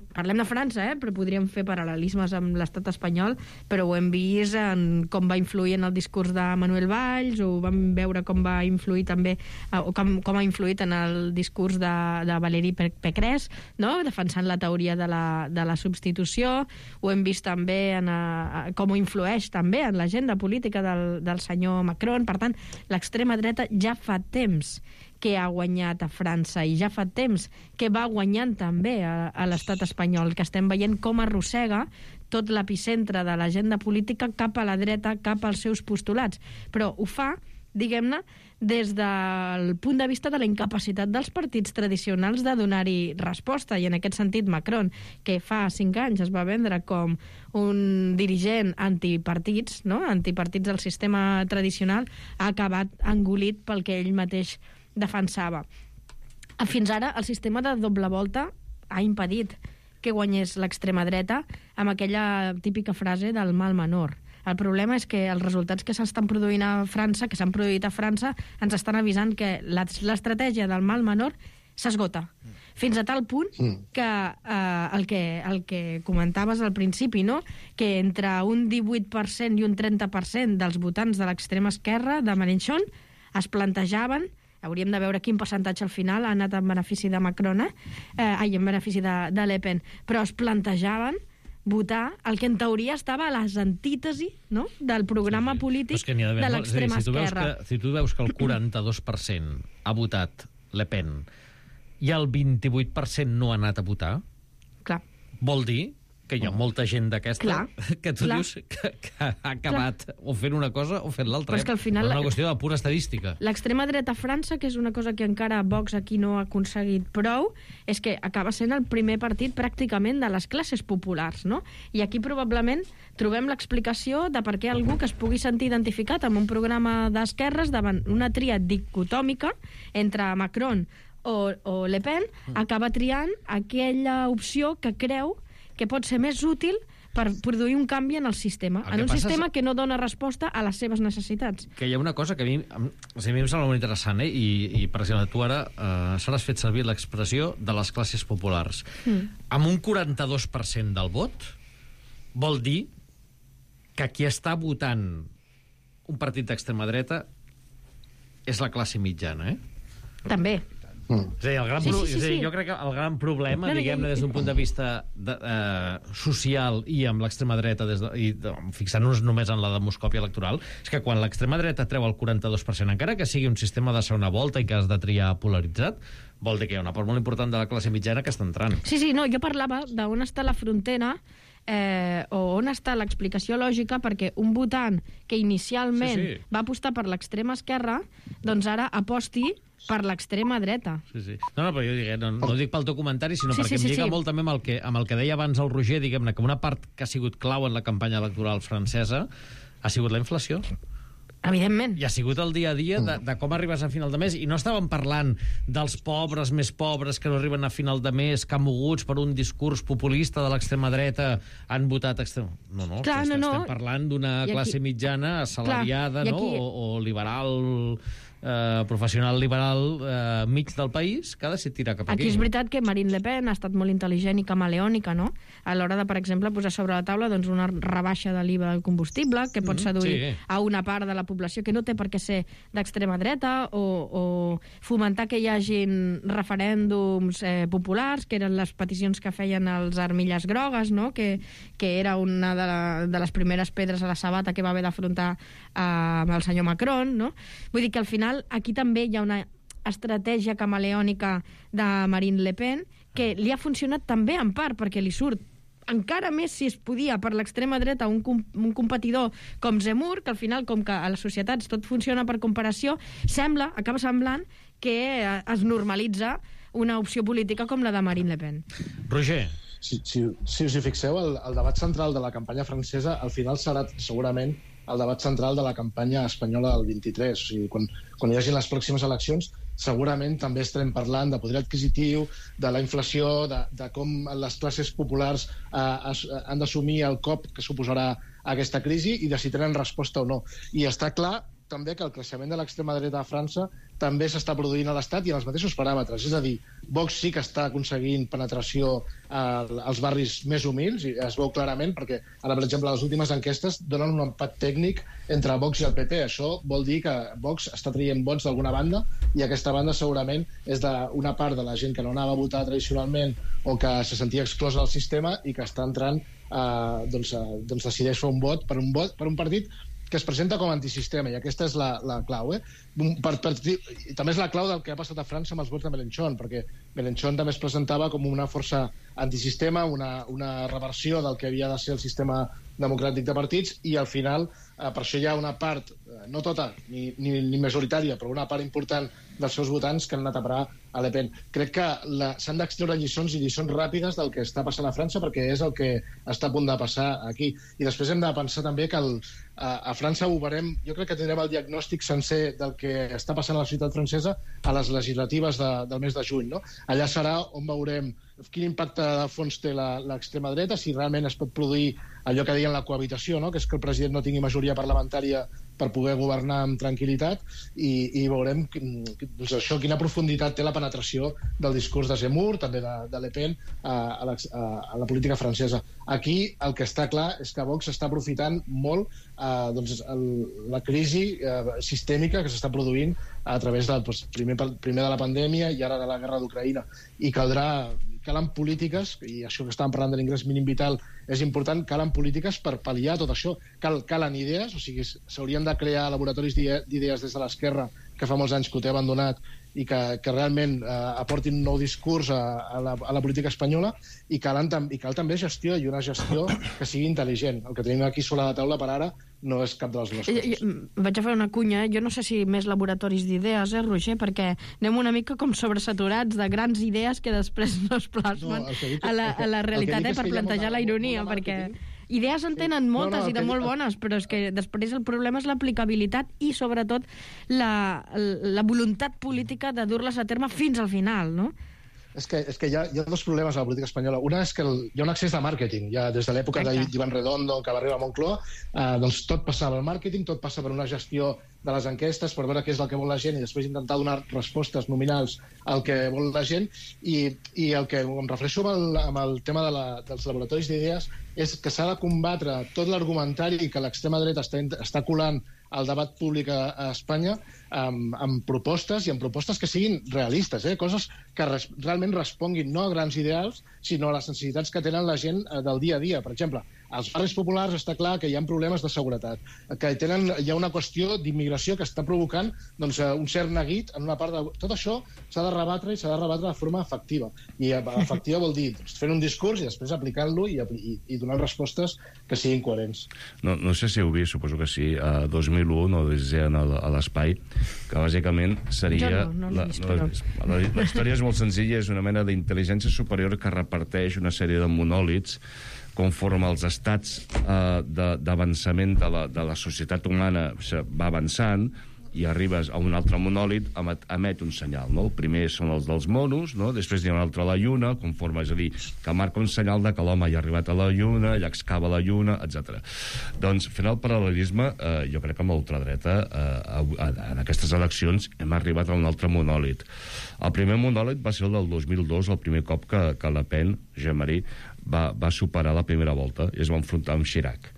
parlem de França, eh? Però podríem fer paral·lelismes amb l'estat espanyol, però ho hem vist en com va influir en el discurs de Manuel Valls, o vam veure com va influir també, o com, com ha influït en el discurs de, de Valérie Pécresse, no?, defensant la teoria de la, de la substitució. Ho hem vist també en a, a, com ho influeix també en l'agenda política del, del senyor Macron. Per tant, l'extrema dreta ja fa temps que ha guanyat a França, i ja fa temps que va guanyant també a, a l'estat espanyol, que estem veient com arrossega tot l'epicentre de l'agenda política cap a la dreta, cap als seus postulats. Però ho fa, diguem-ne, des del punt de vista de la incapacitat dels partits tradicionals de donar-hi resposta, i en aquest sentit Macron, que fa cinc anys es va vendre com un dirigent antipartits, no?, antipartits del sistema tradicional, ha acabat engolit pel que ell mateix defensava. Fins ara, el sistema de doble volta ha impedit que guanyés l'extrema dreta amb aquella típica frase del mal menor. El problema és que els resultats que s'estan produint a França, que s'han produït a França, ens estan avisant que l'estratègia del mal menor s'esgota. Fins a tal punt que, eh, el que el que comentaves al principi, no?, que entre un divuit per cent i un trenta per cent dels votants de l'extrema esquerra de Mélenchon es plantejaven, hauríem de veure quin percentatge al final ha anat en benefici de Macron, eh? Eh, ai, en benefici de, de Le Pen, però es plantejaven votar el que en teoria estava a les antítesi, no?, del programa sí, sí. polític que de l'extrema si esquerra. Que, si tu veus que el quaranta-dos per cent ha votat Le Pen i el vint-i-vuit per cent no ha anat a votar, clar, vol dir que hi ha molta gent d'aquesta que tu clar. dius que, que ha acabat clar. o fent una cosa o fent l'altra. És que al final... És una qüestió de pura estadística. L'extrema dreta a França, que és una cosa que encara Vox aquí no ha aconseguit prou, és que acaba sent el primer partit pràcticament de les classes populars, no? I aquí probablement trobem l'explicació de per què algú que es pugui sentir identificat amb un programa d'esquerres davant una tria dicotòmica entre Macron o, o Le Pen acaba triant aquella opció que creu que pot ser més útil per produir un canvi en el sistema, el en un sistema és... que no dona resposta a les seves necessitats. Que hi ha una cosa que a mi, a mi em sembla molt interessant, eh? I, i per exemple, tu ara eh, s'has fet servir l'expressió de les classes populars. Mm. Amb un quaranta-dos per cent del vot vol dir que qui està votant un partit d'extrema dreta és la classe mitjana, eh? També. Mm. És a dir, el gran Sí, pro... sí, sí, és a dir, sí. jo crec que el gran problema, No, no, diguem-ne, jo- des d'un punt de vista de, eh, social i amb l'extrema dreta, des de, i de, fixant-nos només en la demoscòpia electoral, és que quan l'extrema dreta treu el quaranta-dos per cent, encara que sigui un sistema de segona volta i que has de triar polaritzat, vol dir que hi ha una part molt important de la classe mitjana que està entrant. Sí, sí, no, jo parlava d'on està la frontera eh, o on està l'explicació lògica perquè un votant que inicialment Sí, sí. va apostar per l'extrema esquerra, doncs ara aposti per l'extrema dreta. Sí, sí. No, no, però jo dic, no, no ho dic pel teu comentari, sinó Sí, perquè sí, em sí, lliga sí. molt també amb el, que, amb el que deia abans el Roger, diguem-ne, que una part que ha sigut clau en la campanya electoral francesa ha sigut la inflació. Evidentment. I ha sigut el dia a dia de, de com arribes a final de mes. I no estàvem parlant dels pobres més pobres que no arriben a final de mes, que moguts per un discurs populista de l'extrema dreta han votat extrem... No, no, Clar, estem, no, no. estem parlant d'una I aquí- classe mitjana assalariada, Clar, i no? aquí- O, o liberal... Eh, professional liberal eh, mig del país que ha decidit tirar cap aquí. Aquí és veritat que Marine Le Pen ha estat molt intel·ligent i camaleònica, no? A l'hora de, per exemple, posar sobre la taula doncs, una rebaixa de l'I V A del combustible que pot seduir sí. a una part de la població que no té per què ser d'extrema dreta o, o fomentar que hi hagin referèndums eh, populars, que eren les peticions que feien els armilles grogues, no? que, que era una de, la, de les primeres pedres a la sabata que va haver d'afrontar eh, amb el senyor Macron. No? Vull dir que al final aquí també hi ha una estratègia camaleònica de Marine Le Pen que li ha funcionat també en part perquè li surt encara més, si es podia, per l'extrema dreta un, com, un competidor com Zemmour, que al final, com que a les societats tot funciona per comparació, sembla, acaba semblant que es normalitza una opció política com la de Marine Le Pen. Roger. Si, si, si us hi fixeu, el, el debat central de la campanya francesa al final serà segurament el debat central de la campanya espanyola del vint-i-tres. O sigui, quan, quan hi hagi les pròximes eleccions, segurament també estarem parlant de poder adquisitiu, de la inflació, de, de com les classes populars eh, es, han d'assumir el cop que suposarà aquesta crisi i de si tenen resposta o no. I està clar també que el creixement de l'extrema dreta a França també s'està produint a l'Estat i en els mateixos paràmetres. És a dir, Vox sí que està aconseguint penetració als barris més humils, i es veu clarament, perquè ara, per exemple, les últimes enquestes donen un empat tècnic entre Vox i el P P. Això vol dir que Vox està traient vots d'alguna banda i aquesta banda segurament és d'una part de la gent que no anava a votar tradicionalment o que se sentia exclosa del sistema i que està entrant, eh, doncs, eh, doncs decideix fer un vot per un, vot, per un partit que es presenta com a antisistema, i aquesta és la, la clau. Eh? Per, per, i també és la clau del que ha passat a França amb els vots de Mélenchon, perquè Mélenchon també es presentava com una força antisistema, una, una reversió del que havia de ser el sistema democràtic de partits, i al final, eh, per això hi ha una part, eh, no tota, ni, ni, ni majoritària, però una part important dels seus votants que han anat a parar a Le Pen. Crec que s'han d'extreure lliçons i lliçons ràpides del que està passant a França, perquè és el que està a punt de passar aquí. I després hem de pensar també que el, a, a França ho veurem, jo crec que tindrem el diagnòstic sencer del que està passant a la ciutat francesa a les legislatives de, del mes de juny. No? Allà serà on veurem quin impacte de fons té l'extrema dreta, si realment es pot produir allò que deien la cohabitació, no? Que és que el president no tingui majoria parlamentària per poder governar amb tranquil·litat, i, i veurem doncs això, quina profunditat té la penetració del discurs de Zemmour, també de, de Le Pen, a, a, la, a la política francesa. Aquí el que està clar és que Vox està aprofitant molt eh, doncs, el, la crisi eh, sistèmica que s'està produint a través del, doncs, primer, primer de la pandèmia i ara de la guerra d'Ucraïna. I caldrà calen polítiques, i això que estàvem parlant de l'ingrés mínim vital és important, calen polítiques per pal·liar tot això. Cal, calen idees, o sigui, s'haurien de crear laboratoris d'idees des de l'esquerra, que fa molts anys que ho té abandonat, i que, que realment eh, aportin un nou discurs a, a, la, a la política espanyola, i, calen, i cal també gestió, i una gestió que sigui intel·ligent. El que tenim aquí sobre la taula per ara no és cap de les dues coses. Jo, jo, vaig a fer una cunya, jo no sé si més laboratoris d'idees, eh, Roger, perquè anem una mica com sobresaturats de grans idees que després no es plasmen no, dic, a, la, a la realitat, eh, per plantejar la ironia, perquè idees en tenen sí. moltes no, no, i de molt bones, però és que després el problema és l'aplicabilitat i, sobretot, la, la voluntat política de dur-les a terme fins al final, no? És que, és que hi, ha, hi ha dos problemes a la política espanyola. Una és que el, hi ha un excés de màrqueting. Ja des de l'època d'Iván Redondo, que va arribar a Moncloa, eh, doncs tot passava al màrqueting, tot passa per una gestió de les enquestes, per veure què és el que vol la gent i després intentar donar respostes nominals al que vol la gent. I, i el que em refereixo amb el, amb el tema de la, dels laboratoris d'idees és que s'ha de combatre tot l'argumentari que l'extrema dreta està, està colant al debat públic a, a Espanya amb, amb propostes i amb propostes que siguin realistes, eh? Coses que res, realment responguin no a grans ideals, sinó a les necessitats que tenen la gent eh, del dia a dia. Per exemple, als barris populars està clar que hi ha problemes de seguretat, que tenen, hi ha una qüestió d'immigració que està provocant doncs, un cert neguit en una part de... Tot això s'ha de rebatre i s'ha de rebatre de forma efectiva. I efectiva vol dir doncs, fent un discurs i després aplicant-lo i, i, i donant respostes que siguin coherents. No, no sé si heu vist, suposo que sí, a dos mil u, no deien a l'espai, que bàsicament seria... Jo no, no l'he vist, la, però... La, la història és molt senzilla, és una mena d'intel·ligència superior que reparteix una sèrie de monòlits conforme els estats eh, d'avançament de, de, la, de la societat humana va avançant i arribes a un altre monòlit, emet, emet un senyal, no? El primer són els dels monos, no? Després hi ha un altre a la lluna, conforme, és a dir, que marca un senyal de que l'home ja ha arribat a la lluna, ja excava la lluna, etcètera. Doncs, fent el paral·lelisme, eh, jo crec que amb l'ultradreta, eh, en aquestes eleccions, hem arribat a un altre monòlit. El primer monòlit va ser el del dos mil dos, el primer cop que, que Le Pen, Jean-Marie, va, va superar la primera volta i es va enfrontar amb Chirac.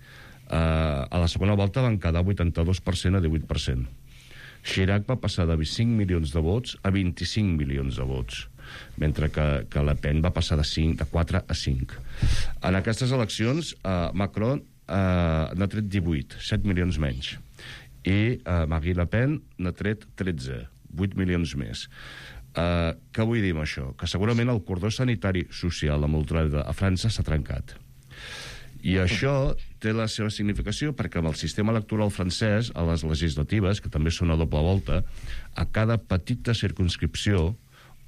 Eh, a la segona volta van quedar vuitanta-dos per cent a divuit per cent. Chirac va passar de cinc milions de vots a vint-i-cinc milions de vots, mentre que, que Le Pen va passar de, cinc, de quatre a cinc. En aquestes eleccions, eh, Macron eh, n'ha tret divuit, set milions menys, i eh, Marine Le Pen n'ha tret tretze, vuit milions més. Eh, què vull dir amb això? Que segurament el cordó sanitari social amb ultradreta a França s'ha trencat. I això té la seva significació perquè amb el sistema electoral francès, a les legislatives, que també són a doble volta, a cada petita circumscripció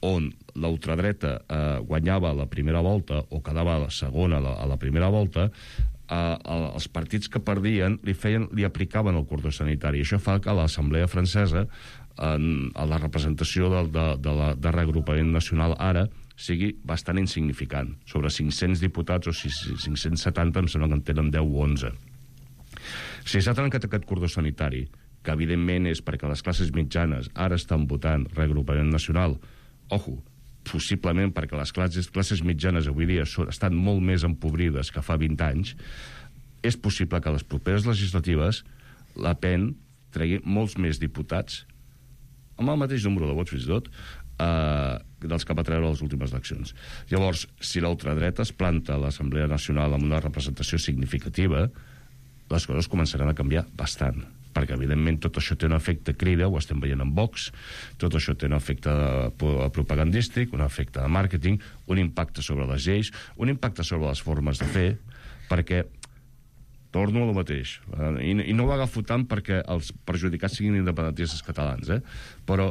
on la ultradreta eh, guanyava la primera volta o quedava a la segona a la, a la primera volta, eh, els partits que perdien li, feien, li aplicaven el cordó sanitari. I això fa que l'Assemblea francesa, en, a la representació de, de, de, la, de reagrupament nacional ara, sigui bastant insignificant. Sobre cinc-cents diputats o cinc-cents setanta em sembla que en tenen deu o onze. Si s'ha trencat aquest cordó sanitari, que evidentment és perquè les classes mitjanes ara estan votant reagrupament nacional, ojo, possiblement perquè les classes, classes mitjanes avui dia són, estan molt més empobrides que fa vint anys, és possible que a les properes legislatives Le Pen tregui molts més diputats amb el mateix número de vots fins i tot, eh, dels que va treure les últimes eleccions. Llavors, si l'ultradreta es planta a l'Assemblea Nacional amb una representació significativa, les coses començaran a canviar bastant, perquè evidentment tot això té un efecte crida, ho estem veient en Vox, tot això té un efecte propagandístic, un efecte de màrqueting, un impacte sobre les lleis, un impacte sobre les formes de fer, perquè torno a lo mateix, i, i no ho agafo tant perquè els perjudicats siguin independentistes catalans, eh? Però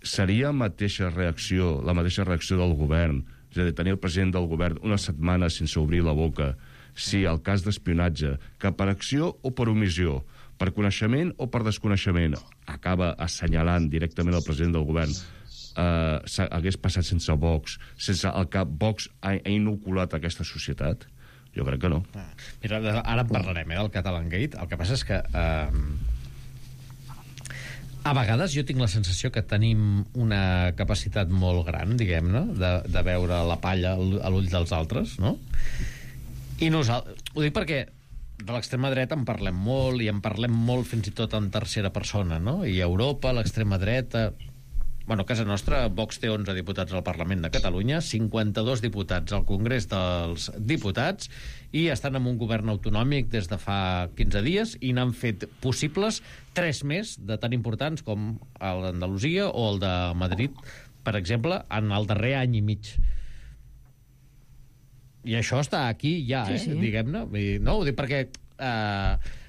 seria mateixa reacció, la mateixa reacció del govern, és a dir, tenir el president del govern una setmana sense obrir la boca, si el cas d'espionatge, que per acció o per omissió, per coneixement o per desconeixement, acaba assenyalant directament el president del govern, eh, hagués passat sense Vox, sense el que Vox ha, ha inoculat a aquesta societat? Jo crec que no. Mira, ara en parlarem, eh, del Catalangate. El que passa és que eh, a vegades jo tinc la sensació que tenim una capacitat molt gran, diguem-ne, de, de veure la palla a l'ull dels altres, no? I nosaltres... Ho dic perquè de l'extrema dreta en parlem molt, i en parlem molt fins i tot en tercera persona, no? I a Europa, l'extrema dreta... Bueno, a casa nostra, Vox té onze diputats al Parlament de Catalunya, cinquanta-dos diputats al Congrés dels Diputats, i estan en un govern autonòmic des de fa quinze dies, i n'han fet possibles tres més de tan importants com el d'Andalusia o el de Madrid, per exemple, en el darrer any i mig. I això està aquí ja, sí, eh? Sí. Diguem-ne. No, ho dic perquè... Eh,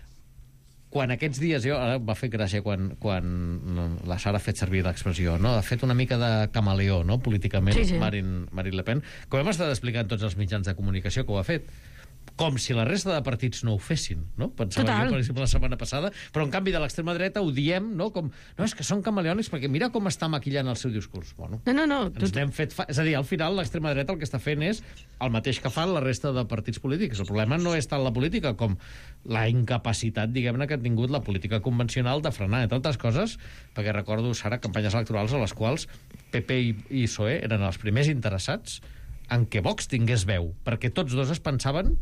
quan aquests dies, jo, ara va fer gràcia quan, quan la Sara ha fet servir l'expressió, no? Ha fet una mica de camaleó, no?, políticament, sí, sí. Marine, Marine Le Pen, com hem estat explicant tots els mitjans de comunicació que ho ha fet, com si la resta de partits no ho fessin, no? Pensava Total. Jo, per exemple, la setmana passada, però en canvi de l'extrema dreta ho diem, no? Com, no, és que són camaleònics perquè mira com està maquillant el seu discurs. Bueno, no, no, no. Ens n'hem fet fa... És a dir, al final l'extrema dreta el que està fent és el mateix que fan la resta de partits polítics. El problema no és tant la política com la incapacitat, diguem-ne, que ha tingut la política convencional de frenar, entre altres coses, perquè recordo, Sara, campanyes electorals a les quals P P i, i P S O E eren els primers interessats en què Vox tingués veu, perquè tots dos es pensaven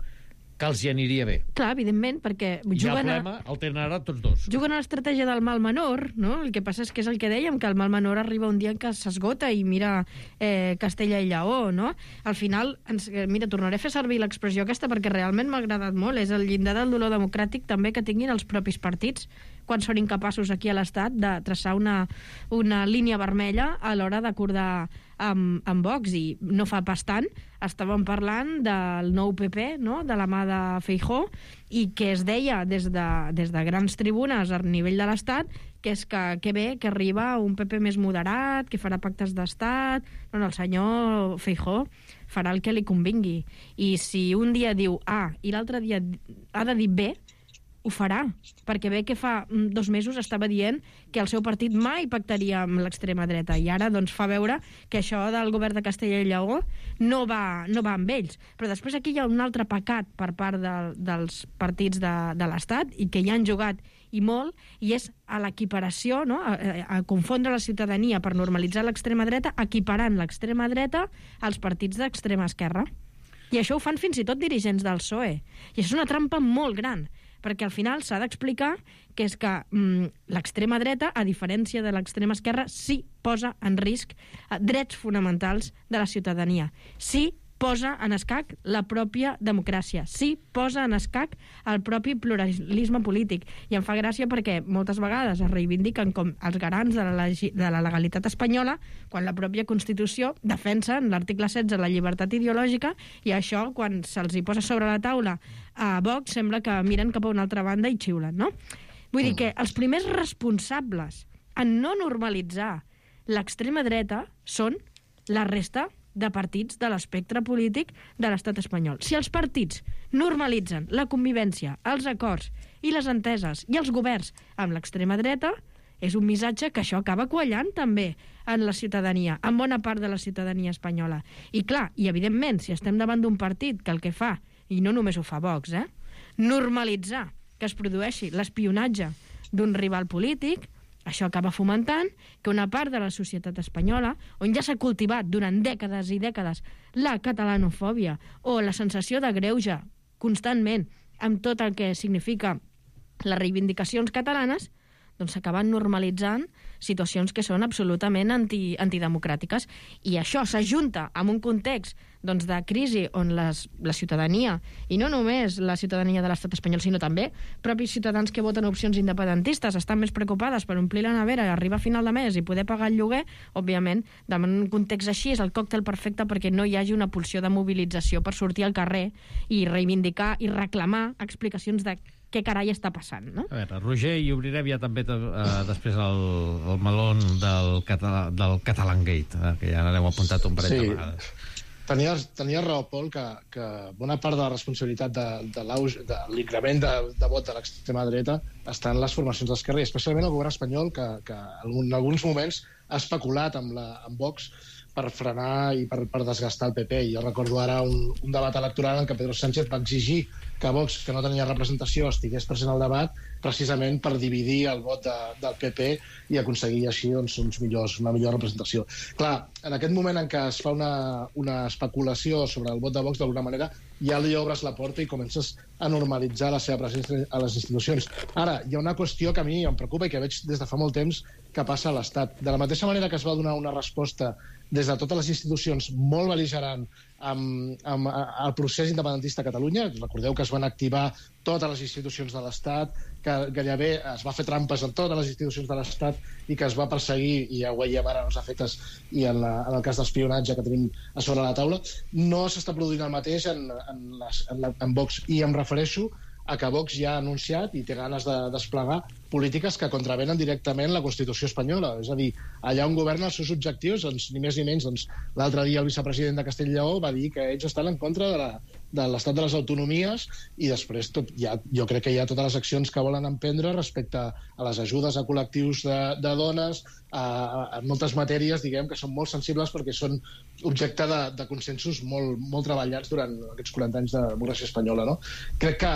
que els hi aniria bé. Clar, evidentment, perquè I el juguen a... problema el tenen ara tots dos. Juguen a l'estratègia del mal menor, no? El que passa és que és el que dèiem, que el mal menor arriba un dia en què s'esgota i mira eh, Castella i Lleó, no? Al final, ens, mira, tornaré a fer servir l'expressió aquesta perquè realment m'ha agradat molt. És el llindar del dolor democràtic també que tinguin els propis partits quan són incapaços aquí a l'Estat de traçar una, una línia vermella a l'hora d'acordar amb, amb Vox. I no fa pas tant estàvem parlant del nou P P, no?, de la mà de Feijóo, i que es deia des de, des de grans tribunes a nivell de l'Estat que és que, que bé, que arriba un P P més moderat, que farà pactes d'Estat. No, no, el senyor Feijóo farà el que li convingui. I si un dia diu A i l'altre dia ha de dir B, ho farà, perquè bé que fa dos mesos estava dient que el seu partit mai pactaria amb l'extrema dreta i ara doncs fa veure que això del govern de Castella i Lleó no va, no va amb ells. Però després aquí hi ha un altre pecat per part de, dels partits de, de l'Estat i que hi han jugat i molt, i és a l'equiparació, no? a, a confondre la ciutadania per normalitzar l'extrema dreta, equiparant l'extrema dreta als partits d'extrema esquerra. I això ho fan fins i tot dirigents del P S O E. I això és una trampa molt gran, perquè al final s'ha d'explicar que és que mm, l'extrema dreta, a diferència de l'extrema esquerra, sí posa en risc eh, drets fonamentals de la ciutadania. Sí posa en escac la pròpia democràcia. Sí posa en escac el propi pluralisme polític. I em fa gràcia perquè moltes vegades es reivindiquen com els garants de la, de la legalitat espanyola quan la pròpia Constitució defensa en l'article setze la llibertat ideològica, i això, quan se'ls hi posa sobre la taula a Vox, sembla que miren cap a una altra banda i xiulen, no? Vull dir que els primers responsables en no normalitzar l'extrema dreta són la resta de partits de l'espectre polític de l'estat espanyol. Si els partits normalitzen la convivència, els acords i les enteses i els governs amb l'extrema dreta, és un missatge que això acaba quallant també en la ciutadania, en bona part de la ciutadania espanyola. I clar, i evidentment, si estem davant d'un partit que el que fa, i no només ho fa Vox, eh, normalitzar que es produeixi l'espionatge d'un rival polític, això acaba fomentant que una part de la societat espanyola, on ja s'ha cultivat durant dècades i dècades la catalanofòbia o la sensació de greuge constantment amb tot el que significa les reivindicacions catalanes, doncs s'acaben normalitzant situacions que són absolutament anti, antidemocràtiques. I això s'ajunta amb un context doncs, de crisi on les, la ciutadania, i no només la ciutadania de l'estat espanyol, sinó també propis ciutadans que voten opcions independentistes, estan més preocupades per omplir la nevera i arribar a final de mes i poder pagar el lloguer. Òbviament, en un context així és el còctel perfecte perquè no hi hagi una pulsió de mobilització per sortir al carrer i reivindicar i reclamar explicacions de què carai està passant, no? A veure, Roger, i obrirem ja també eh, després el, el melón del, Catala, del Catalangate, eh, que ja n'hem apuntat un parell sí. de vegades. Tenia, tenia raó, Pol, que, que bona part de la responsabilitat de, de, de l'increment de, de vot de l'extrema dreta està en les formacions d'esquerra, i especialment el govern espanyol, que, que en alguns moments ha especulat amb, la, amb Vox per frenar i per, per desgastar el P P. Jo recordo ara un, un debat electoral en què Pedro Sánchez va exigir que Vox, que no tenia representació, estigués present al debat precisament per dividir el vot de, del P P i aconseguir així doncs, uns millors, una millor representació. Clar, en aquest moment en què es fa una, una especulació sobre el vot de Vox, d'alguna manera, ja li obres la porta i comences a normalitzar la seva presència a les institucions. Ara, hi ha una qüestió que a mi em preocupa i que veig des de fa molt temps que passa a l'Estat. De la mateixa manera que es va donar una resposta des de totes les institucions molt bel·ligerant amb, amb el procés independentista a Catalunya, recordeu que es van activar totes les institucions de l'Estat, que gairebé es va fer trampes en totes les institucions de l'Estat i que es va perseguir, i ja ho veiem ara en els efectes i en, la, en el cas d'espionatge que tenim a sobre la taula. No s'està produint el mateix en, en, les, en, la, en Vox, i em refereixo a que Vox ja ha anunciat i té ganes de desplegar polítiques que contravenen directament la Constitució espanyola. És a dir, allà on governa els seus objectius, doncs, ni més ni menys, doncs, l'altre dia el vicepresident de Castella i Lleó va dir que ells estan en contra de la, de l'estat de les autonomies, i després tot, ja, jo crec que hi ha totes les accions que volen emprendre respecte a les ajudes a col·lectius de, de dones, a, a moltes matèries, diguem, que són molt sensibles perquè són objecte de, de consensos molt, molt treballats durant aquests quaranta anys de democràcia espanyola, no? Crec que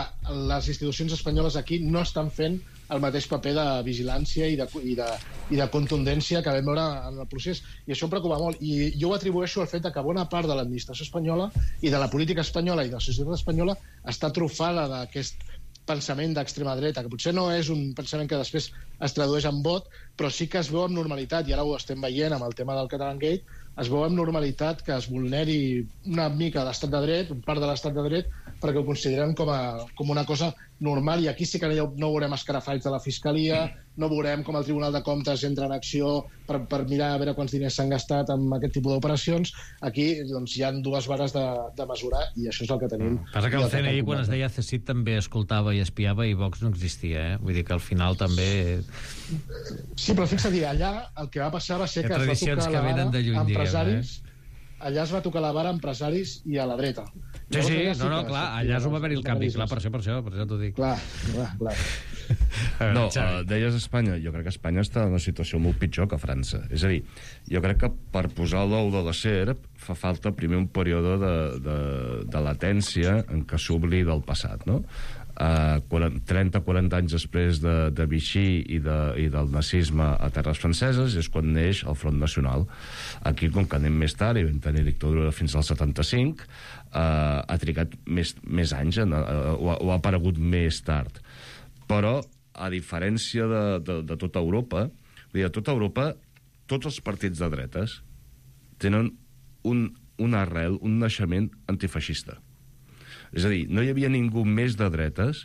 les institucions espanyoles aquí no estan fent el mateix paper de vigilància i de, i de, i de contundència que vam veure en el procés. I això em preocupa molt. I jo ho atribueixo al fet que bona part de l'administració espanyola i de la política espanyola i de la societat espanyola està trufada d'aquest pensament d'extrema dreta, que potser no és un pensament que després es tradueix en vot, però sí que es veu amb normalitat, i ara ho estem veient amb el tema del Catalangate, es veu amb normalitat que es vulneri una mica l'estat de dret, un part de l'estat de dret, perquè ho consideren com, a, com una cosa normal, i aquí sí que no veurem escarafalls de la Fiscalia, no veurem com el Tribunal de Comptes entra en acció per, per mirar a veure quants diners s'han gastat amb aquest tipus d'operacions. Aquí doncs, hi ha dues vares de, de mesurar, i això és el que tenim. Mm. Passa que el C N I, quan es deia C S I T, també escoltava i espiava, i Vox no existia, eh? Vull dir que al final també... Sí, però fixa't, allà el que va passar va ser que es va tocar la vara a empresaris, allà es va tocar la vara a empresaris i a la dreta. Sí, sí, no, no, clar, allà es va haver el canvi, clar, per això, per això, per això t'ho dic. Clar, clar, clar. No, uh, deies Espanya, jo crec que Espanya està en una situació molt pitjor que França. És a dir, jo crec que per posar l'ou de la serp fa falta primer un període de, de, de latència en què s'oblida el passat, no? Uh, trenta a quaranta anys després de, de Vichy i, de, i del nazisme a terres franceses és quan neix el Front Nacional. Aquí, com que anem més tard i vam tenir dictadura fins al setanta-cinc, uh, ha trigat més, més anys, uh, o, ha, o ha aparegut més tard. Però, a diferència de, de, de tota Europa, vull dir, a tota Europa, tots els partits de dretes tenen un, un arrel, un naixement antifeixista. És a dir, no hi havia ningú més de dretes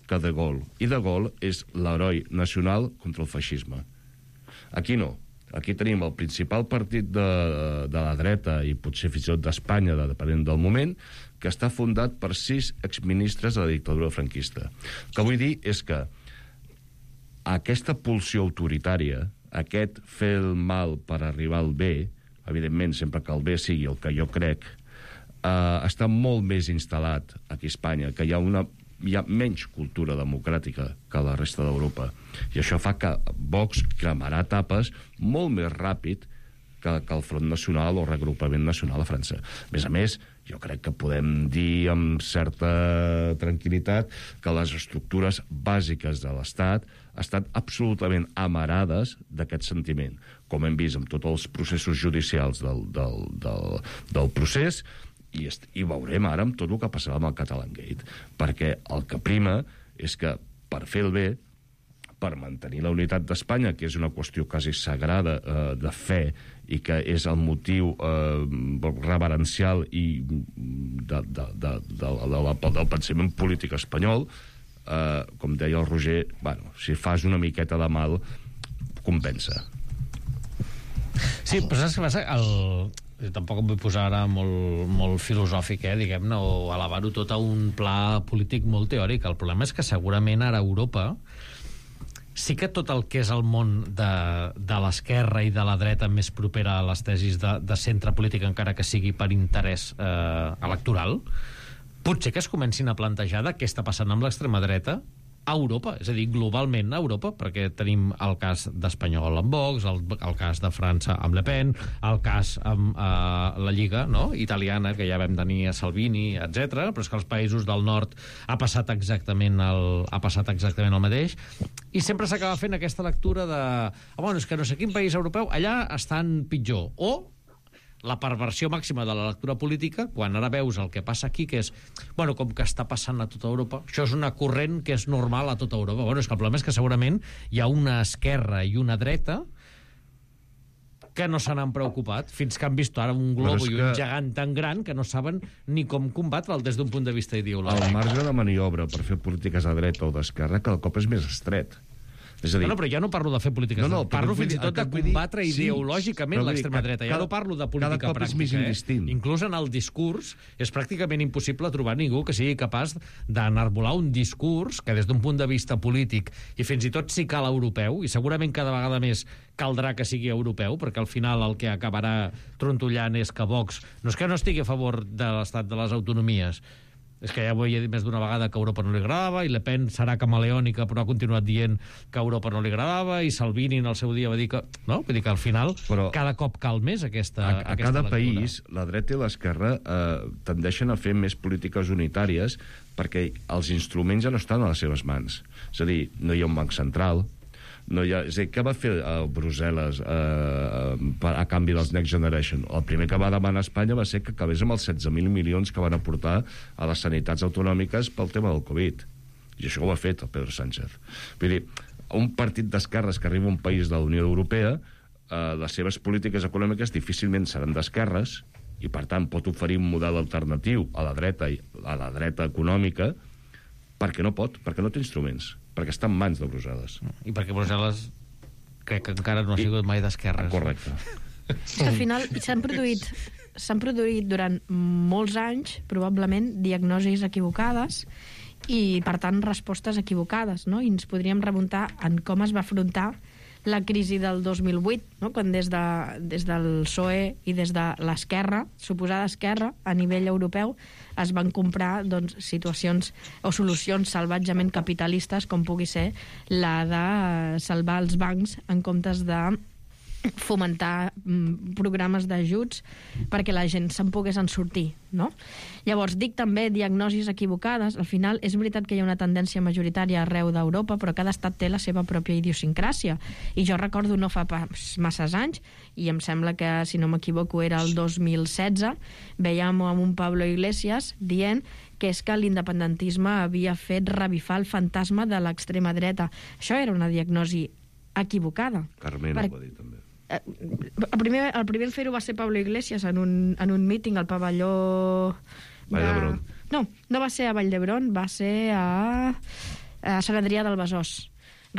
que De Gaulle. I De Gaulle és l'heroi nacional contra el feixisme. Aquí no. Aquí tenim el principal partit de, de la dreta, i potser fins i tot d'Espanya, depenent del moment, que està fundat per sis exministres de la dictadura franquista. El que vull dir és que aquesta pulsió autoritària, aquest fer el mal per arribar al bé, evidentment, sempre que el bé sigui el que jo crec, Uh, està molt més instal·lat aquí a Espanya, que hi ha, una, hi ha menys cultura democràtica que la resta d'Europa. I això fa que Vox cremarà tapes molt més ràpid que, que el Front Nacional o Regrupament Nacional a França. A més a més, jo crec que podem dir amb certa tranquil·litat que les estructures bàsiques de l'Estat estan absolutament amarades d'aquest sentiment, com hem vist amb tots els processos judicials del, del, del, del procés. I, i veurem ara amb tot el que passarà amb el Catalangate, perquè el que prima és que per fer el bé, per mantenir la unitat d'Espanya, que és una qüestió quasi sagrada eh, de fe i que és el motiu eh, reverencial i de, de, de, de, de, de, del pensament polític espanyol, eh, com deia el Roger, bueno, si fas una miqueta de mal, compensa. Sí, però saps què passa? El... Tampoc em vull posar ara molt, molt filosòfic, eh, diguem-ne, o elevar-ho tot a un pla polític molt teòric. El problema és que segurament ara a Europa sí que tot el que és el món de, de l'esquerra i de la dreta més propera a les tesis de, de centre polític, encara que sigui per interès eh, electoral, potser que es comencin a plantejar de què està passant amb l'extrema dreta a Europa, és a dir, globalment a Europa, perquè tenim el cas d'Espanyol amb Vox, el, el cas de França amb Le Pen, el cas amb eh, la Lliga, no?, italiana, que ja vam tenir a Salvini, etcètera, però és que als països del nord ha passat exactament el, ha passat exactament el mateix, i sempre s'acaba fent aquesta lectura de ah, bueno, és que no sé quin país europeu, allà estan pitjor, o la perversió màxima de la lectura política, quan ara veus el que passa aquí, que és, bueno, com que està passant a tota Europa, això és una corrent que és normal a tota Europa. Bueno, és que el problema és que segurament hi ha una esquerra i una dreta que no se n'han preocupat, fins que han vist ara un globo i un gegant tan gran que no saben ni com combatre'l des d'un punt de vista ideològic. El marge de maniobra per fer polítiques a dreta o d'esquerra cada cop és més estret. És a dir... No, no, però ja no parlo de fer polítiques, no, no, parlo fins i tot de combatre dir, ideològicament sí, l'extrema dreta. Ja cada, no parlo de política pràctica. Eh? Inclús en el discurs és pràcticament impossible trobar ningú que sigui capaç d'enarbolar un discurs que des d'un punt de vista polític i fins i tot si cal europeu, i segurament cada vegada més caldrà que sigui europeu, perquè al final el que acabarà trontollant és que Vox no és que no estigui a favor de l'estat de les autonomies, És que ja ho he dit més d'una vegada que a Europa no li agradava, i Le Pen serà camaleònica, però ha continuat dient que a Europa no li agradava, i Salvini en el seu dia va dir que... No? Vull dir que al final però cada cop cal més aquesta, a, a aquesta cada lectura. país, la dreta i l'esquerra eh, tendeixen a fer més polítiques unitàries perquè els instruments ja no estan a les seves mans. És a dir, no hi ha un banc central, no hi ha... És a dir, què va fer eh, Brussel·les eh, a canvi dels Next Generation? El primer que va demanar Espanya va ser que acabés amb els setze mil milions que van aportar a les sanitats autonòmiques pel tema del Covid. I això ho ha fet el Pedro Sánchez. Vull dir, un partit d'esquerres que arriba a un país de la Unió Europea, eh, les seves polítiques econòmiques difícilment seran d'esquerres, i per tant pot oferir un model alternatiu a la dreta, a la dreta econòmica, perquè no pot, perquè no té instruments, perquè està en mans de Brussel·les. I perquè Brussel·les crec que encara no ha sigut mai d'esquerres. Correcte. Al final s'han produït s'han produït durant molts anys probablement diagnosis equivocades i, per tant, respostes equivocades, no? I ens podríem remuntar en com es va afrontar la crisi del dos mil vuit, no? Quan des, de, des del P S O E i des de l'esquerra, suposada esquerra, a nivell europeu, es van comprar doncs, situacions o solucions salvatgement capitalistes, com pugui ser la de salvar els bancs en comptes de fomentar mm, programes d'ajuts perquè la gent se'n pogués en sortir, no? Llavors, dic també diagnosis equivocades. Al final, és veritat que hi ha una tendència majoritària arreu d'Europa, però cada estat té la seva pròpia idiosincràsia. I jo recordo no fa pas masses anys, i em sembla que, si no m'equivoco, era el dos mil setze, veiem amb un Pablo Iglesias dient que és que l'independentisme havia fet revifar el fantasma de l'extrema dreta. Això era una diagnosi equivocada. Carmena per... ho va dir, també. El primer, el primer en fer-ho va ser Pablo Iglesias en un, en un míting al pavelló Vall d'Hebron. No, no va ser a Vall d'Hebron, va ser a, a Sant Adrià del Besòs.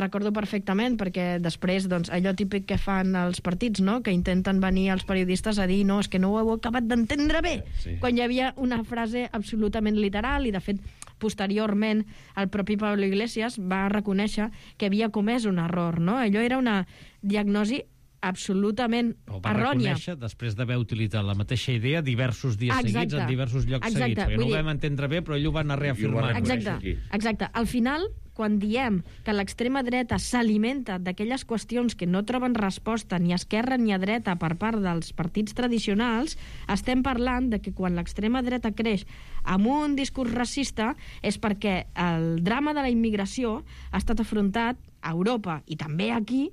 Recordo perfectament, perquè després, doncs, allò típic que fan els partits, no?, que intenten venir els periodistes a dir no, és que no ho heu acabat d'entendre bé, sí. Quan hi havia una frase absolutament literal, i de fet posteriorment el propi Pablo Iglesias va reconèixer que havia comès un error, no? Allò era una diagnosi absolutament o va errònia. Reconèixer després d'haver utilitzat la mateixa idea diversos dies exacte. seguits en diversos llocs exacte. seguits, perquè Vull no ho dir... vam entendre bé, però ell ho va anar reafirmant. Exacte, exacte. Al final, quan diem que l'extrema dreta s'alimenta d'aquelles qüestions que no troben resposta ni a esquerra ni a dreta per part dels partits tradicionals, estem parlant de que quan l'extrema dreta creix amb un discurs racista és perquè el drama de la immigració ha estat afrontat a Europa i també aquí,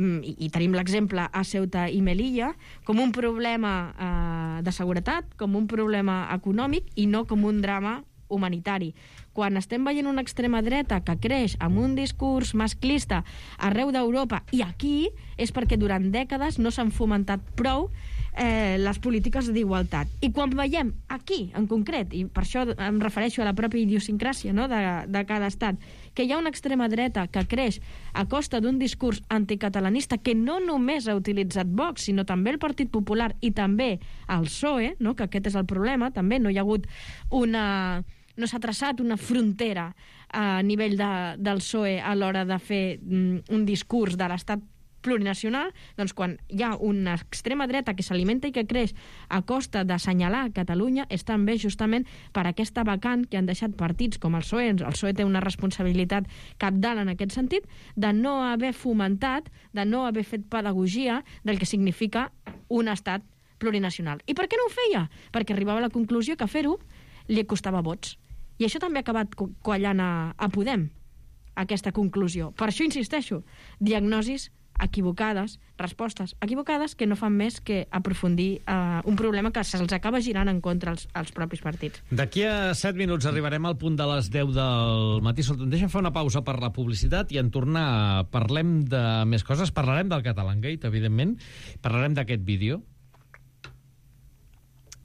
i, i tenim l'exemple a Ceuta i Melilla, com un problema eh, de seguretat, com un problema econòmic i no com un drama humanitari. Quan estem veient una extrema dreta que creix amb un discurs masclista arreu d'Europa i aquí, és perquè durant dècades no s'han fomentat prou eh, les polítiques d'igualtat. I quan veiem aquí, en concret, i per això em refereixo a la pròpia idiosincràsia, no?, de, de cada estat, que hi ha una extrema dreta que creix a costa d'un discurs anticatalanista que no només ha utilitzat Vox, sinó també el Partit Popular i també el P S O E, no?, que aquest és el problema, també no hi ha hagut una... no s'ha traçat una frontera a nivell de, del P S O E a l'hora de fer mm, un discurs de l'estat plurinacional, doncs quan hi ha una extrema dreta que s'alimenta i que creix a costa d'assenyalar Catalunya és també justament per aquesta vacant que han deixat partits com el P S O E. El P S O E té una responsabilitat cabdal en aquest sentit de no haver fomentat, de no haver fet pedagogia del que significa un estat plurinacional. I per què no ho feia? Perquè arribava a la conclusió que fer-ho li costava vots. I això també ha acabat quallant a, a Podem, aquesta conclusió. Per això insisteixo, diagnosis equivocades, respostes equivocades que no fan més que aprofundir eh, un problema que se'ls acaba girant en contra els, els propis partits. D'aquí a set minuts arribarem al punt de les deu del matí. Deixa'm fer una pausa per la publicitat i en tornar parlem de més coses. Parlarem del Catalangate, evidentment. Parlarem d'aquest vídeo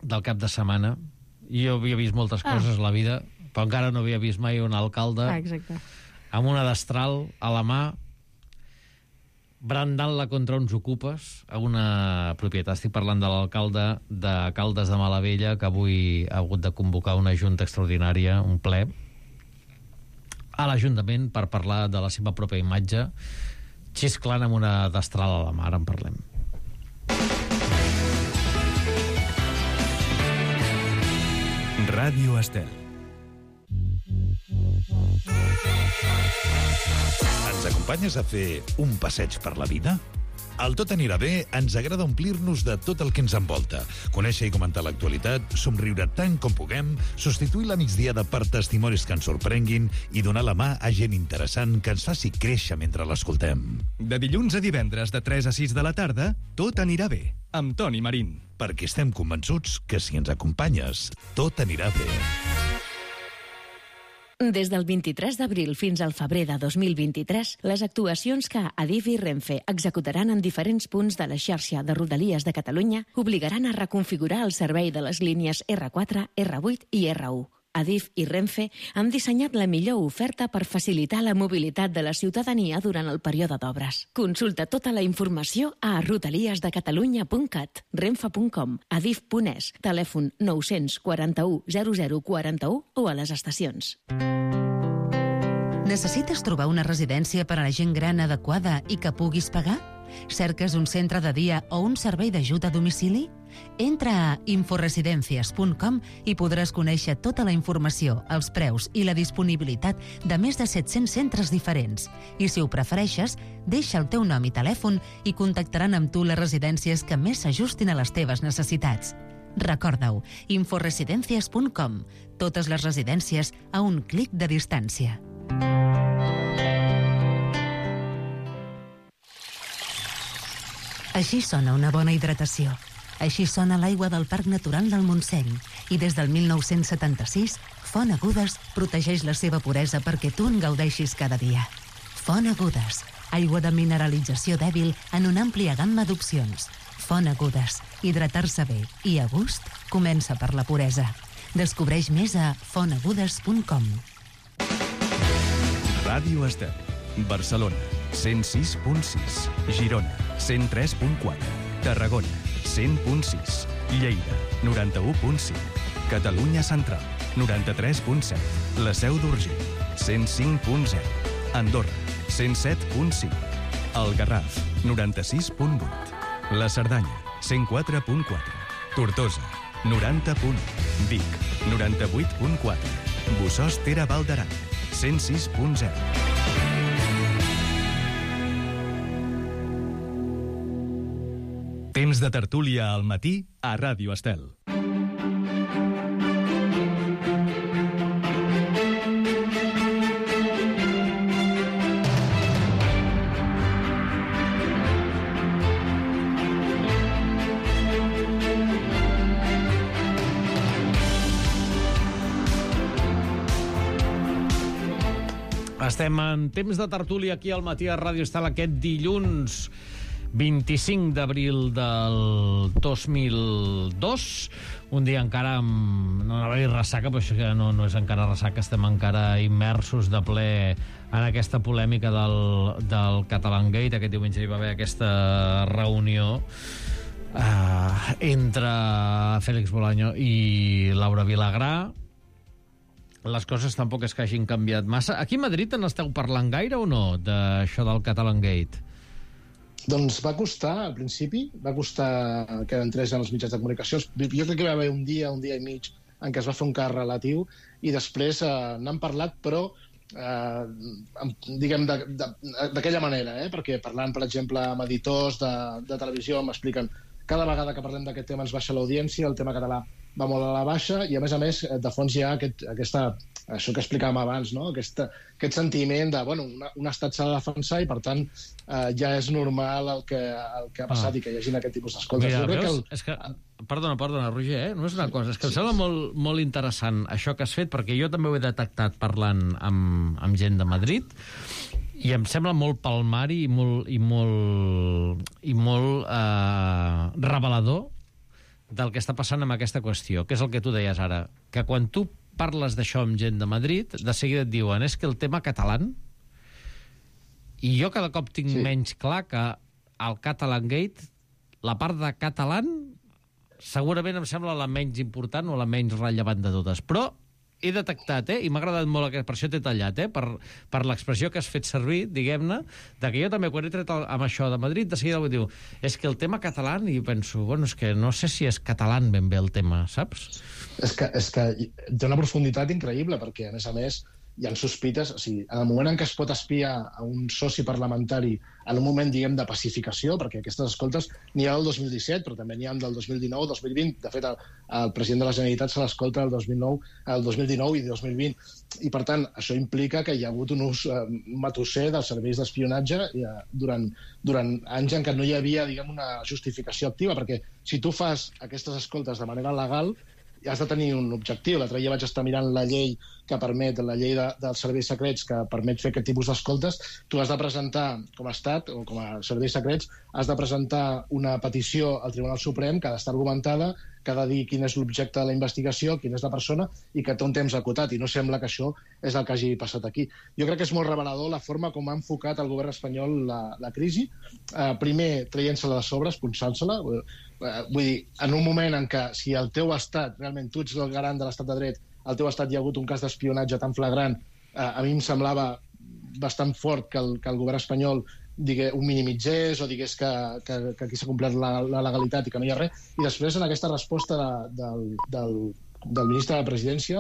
del cap de setmana. Jo havia vist moltes coses ah. a la vida, però encara no havia vist mai un alcalde ah, exacte. amb una destral a la mà brandant-la contra uns ocupes a una propietat. Estic parlant de l'alcalde de Caldes de Malavella, que avui ha hagut de convocar una junta extraordinària, un ple, a l'Ajuntament per parlar de la seva pròpia imatge, xisclant amb una destral a la mà. Ara en parlem. Ràdio Estel. Ens acompanyes a fer un passeig per la vida? Al Tot anirà bé ens agrada omplir-nos de tot el que ens envolta, conèixer i comentar l'actualitat, somriure tant com puguem, substituir la migdiada per testimonis que ens sorprenguin i donar la mà a gent interessant que ens faci créixer mentre l'escoltem. De dilluns a divendres de tres a sis de la tarda, Tot anirà bé, amb Toni Marín. Perquè estem convençuts que si ens acompanyes, tot anirà bé. Des del vint-i-tres d'abril fins al febrer de dos mil vint-i-tres, les actuacions que Adif i Renfe executaran en diferents punts de la xarxa de Rodalies de Catalunya obligaran a reconfigurar el servei de les línies erre quatre, erre vuit i erre u. Adif i Renfe han dissenyat la millor oferta per facilitar la mobilitat de la ciutadania durant el període d'obres. Consulta tota la informació a rodaliesdecatalunya punt cat, renfe punt com, adif punt es, telèfon nou quatre u zero zero quatre u o a les estacions. Necessites trobar una residència per a la gent gran adequada i que puguis pagar? Cerques un centre de dia o un servei d'ajut a domicili? Entra a inforesidencias punt com i podràs conèixer tota la informació, els preus i la disponibilitat de més de set-cents centres diferents. I si ho prefereixes, deixa el teu nom i telèfon i contactaran amb tu les residències que més s'ajustin a les teves necessitats. Recorda-ho, inforesidencias punt com. Totes les residències a un clic de distància. Així sona una bona hidratació. Així sona l'aigua del Parc Natural del Montseny. I des del mil nou-cents setanta-sis, Font Agudes protegeix la seva puresa perquè tu en gaudeixis cada dia. Font Agudes, aigua de mineralització dèbil en una àmplia gamma d'opcions. Font Agudes, hidratar-se bé i a gust comença per la puresa. Descobreix més a font agudes punt com. Ràdio Estel, Barcelona, cent sis punt sis, Girona, cent tres punt quatre, Tarragona, cent punt sis, Lleida, noranta-u punt cinc, Catalunya Central, noranta-tres punt set, La Seu d'Urgell, cent cinc punt zero, Andorra, cent set punt cinc, El Garraf, noranta-sis punt vuit, La Cerdanya, cent quatre punt quatre, Tortosa, noranta punt u, Vic, noranta-vuit punt quatre, Bossòst Tere Val d'Aran, cent sis punt zero. Temps de tertúlia al matí a Ràdio Estel. Estem en temps de tertúlia aquí al matí a Ràdio Estel aquest dilluns vint-i-cinc d'abril del dos mil dos, un dia encara amb, no anava a dir ressaca, però això que no, no és encara ressaca, estem encara immersos de ple en aquesta polèmica del, del Catalangate. Aquest diumenge hi va haver aquesta reunió eh, entre Félix Bolaño i Laura Vilagrà. Les coses tampoc és que hagin canviat massa. Aquí a Madrid en esteu parlant gaire o no, d'això del Catalangate? Doncs va costar, al principi, va costar que entrés en els mitjans de comunicació. Jo crec que va haver un dia, un dia i mig, en què es va fer un cas relatiu, i després eh, n'han parlat, però eh, diguem d'aquella manera, eh? Perquè parlant, per exemple, amb editors de, de televisió m'expliquen cada vegada que parlem d'aquest tema ens baixa l'audiència, el tema català va molt a la baixa, i a més a més, de fons hi ha aquest, aquesta, això que explicàvem abans, no? Aquest, aquest sentiment de, bueno, una, un estat s'ha de defensar i, per tant, eh, ja és normal el que, el que ha passat ah. i que hi hagi aquest tipus d'escoltes. Mira, veus? Que el... És que, perdona, perdona, Roger, eh? No és una cosa, és que em sembla molt, molt interessant això que has fet, perquè jo també ho he detectat parlant amb, amb gent de Madrid, i em sembla molt palmari i molt, i molt, i molt eh, revelador del que està passant amb aquesta qüestió, que és el que tu deies ara, que quan tu parles d'això amb gent de Madrid, de seguida et diuen, és que el tema català, i jo cada cop tinc sí. menys clar que al Catalangate, la part de català segurament em sembla la menys important o la menys rellevant de totes, però he detectat, eh, i m'ha agradat molt, per això t'he tallat, eh, per, per l'expressió que has fet servir, diguem-ne, de que jo també, quan he tret el, amb això de Madrid, de seguida ho diu, és que el tema català, i penso, bueno, és que no sé si és català ben bé el tema, saps? És que, és que té una profunditat increïble, perquè, a més a més, hi ha sospites, o sigui, en el moment en què es pot espiar a un soci parlamentari en un moment, diguem, de pacificació, perquè aquestes escoltes n'hi ha del dos mil disset, però també n'hi ha del dos mil dinou, dos mil vint. De fet, el, el president de la Generalitat se l'escolta el dos mil nou, el dos mil dinou i dos mil vint. I, per tant, això implica que hi ha hagut un ús eh, matusser dels serveis d'espionatge eh, durant, durant anys en què no hi havia, diguem, una justificació activa, perquè si tu fas aquestes escoltes de manera legal, has de tenir un objectiu. L'altre dia vaig estar mirant la llei que permet, la llei de, dels serveis secrets que permet fer aquest tipus d'escoltes. Tu has de presentar, com a Estat o com a serveis secrets, has de presentar una petició al Tribunal Suprem que ha d'estar argumentada, que ha de dir quin és l'objecte de la investigació, quina és la persona, i que té un temps acotat, i no sembla que això és el que hagi passat aquí. Jo crec que és molt revelador la forma com ha enfocat el govern espanyol la, la crisi. Eh, primer, traient-se-la de sobre, expulsant-se-la. Eh, vull dir, en un moment en què si el teu estat, realment tu ets el garant de l'estat de dret, al teu estat hi ha hagut un cas d'espionatge tan flagrant, eh, a mi em semblava bastant fort que el, que el govern espanyol digué, ho minimitzés o digués que, que, que aquí s'ha complert la, la legalitat i que no hi ha res. I després, en aquesta resposta de, del, del, del ministre de la Presidència,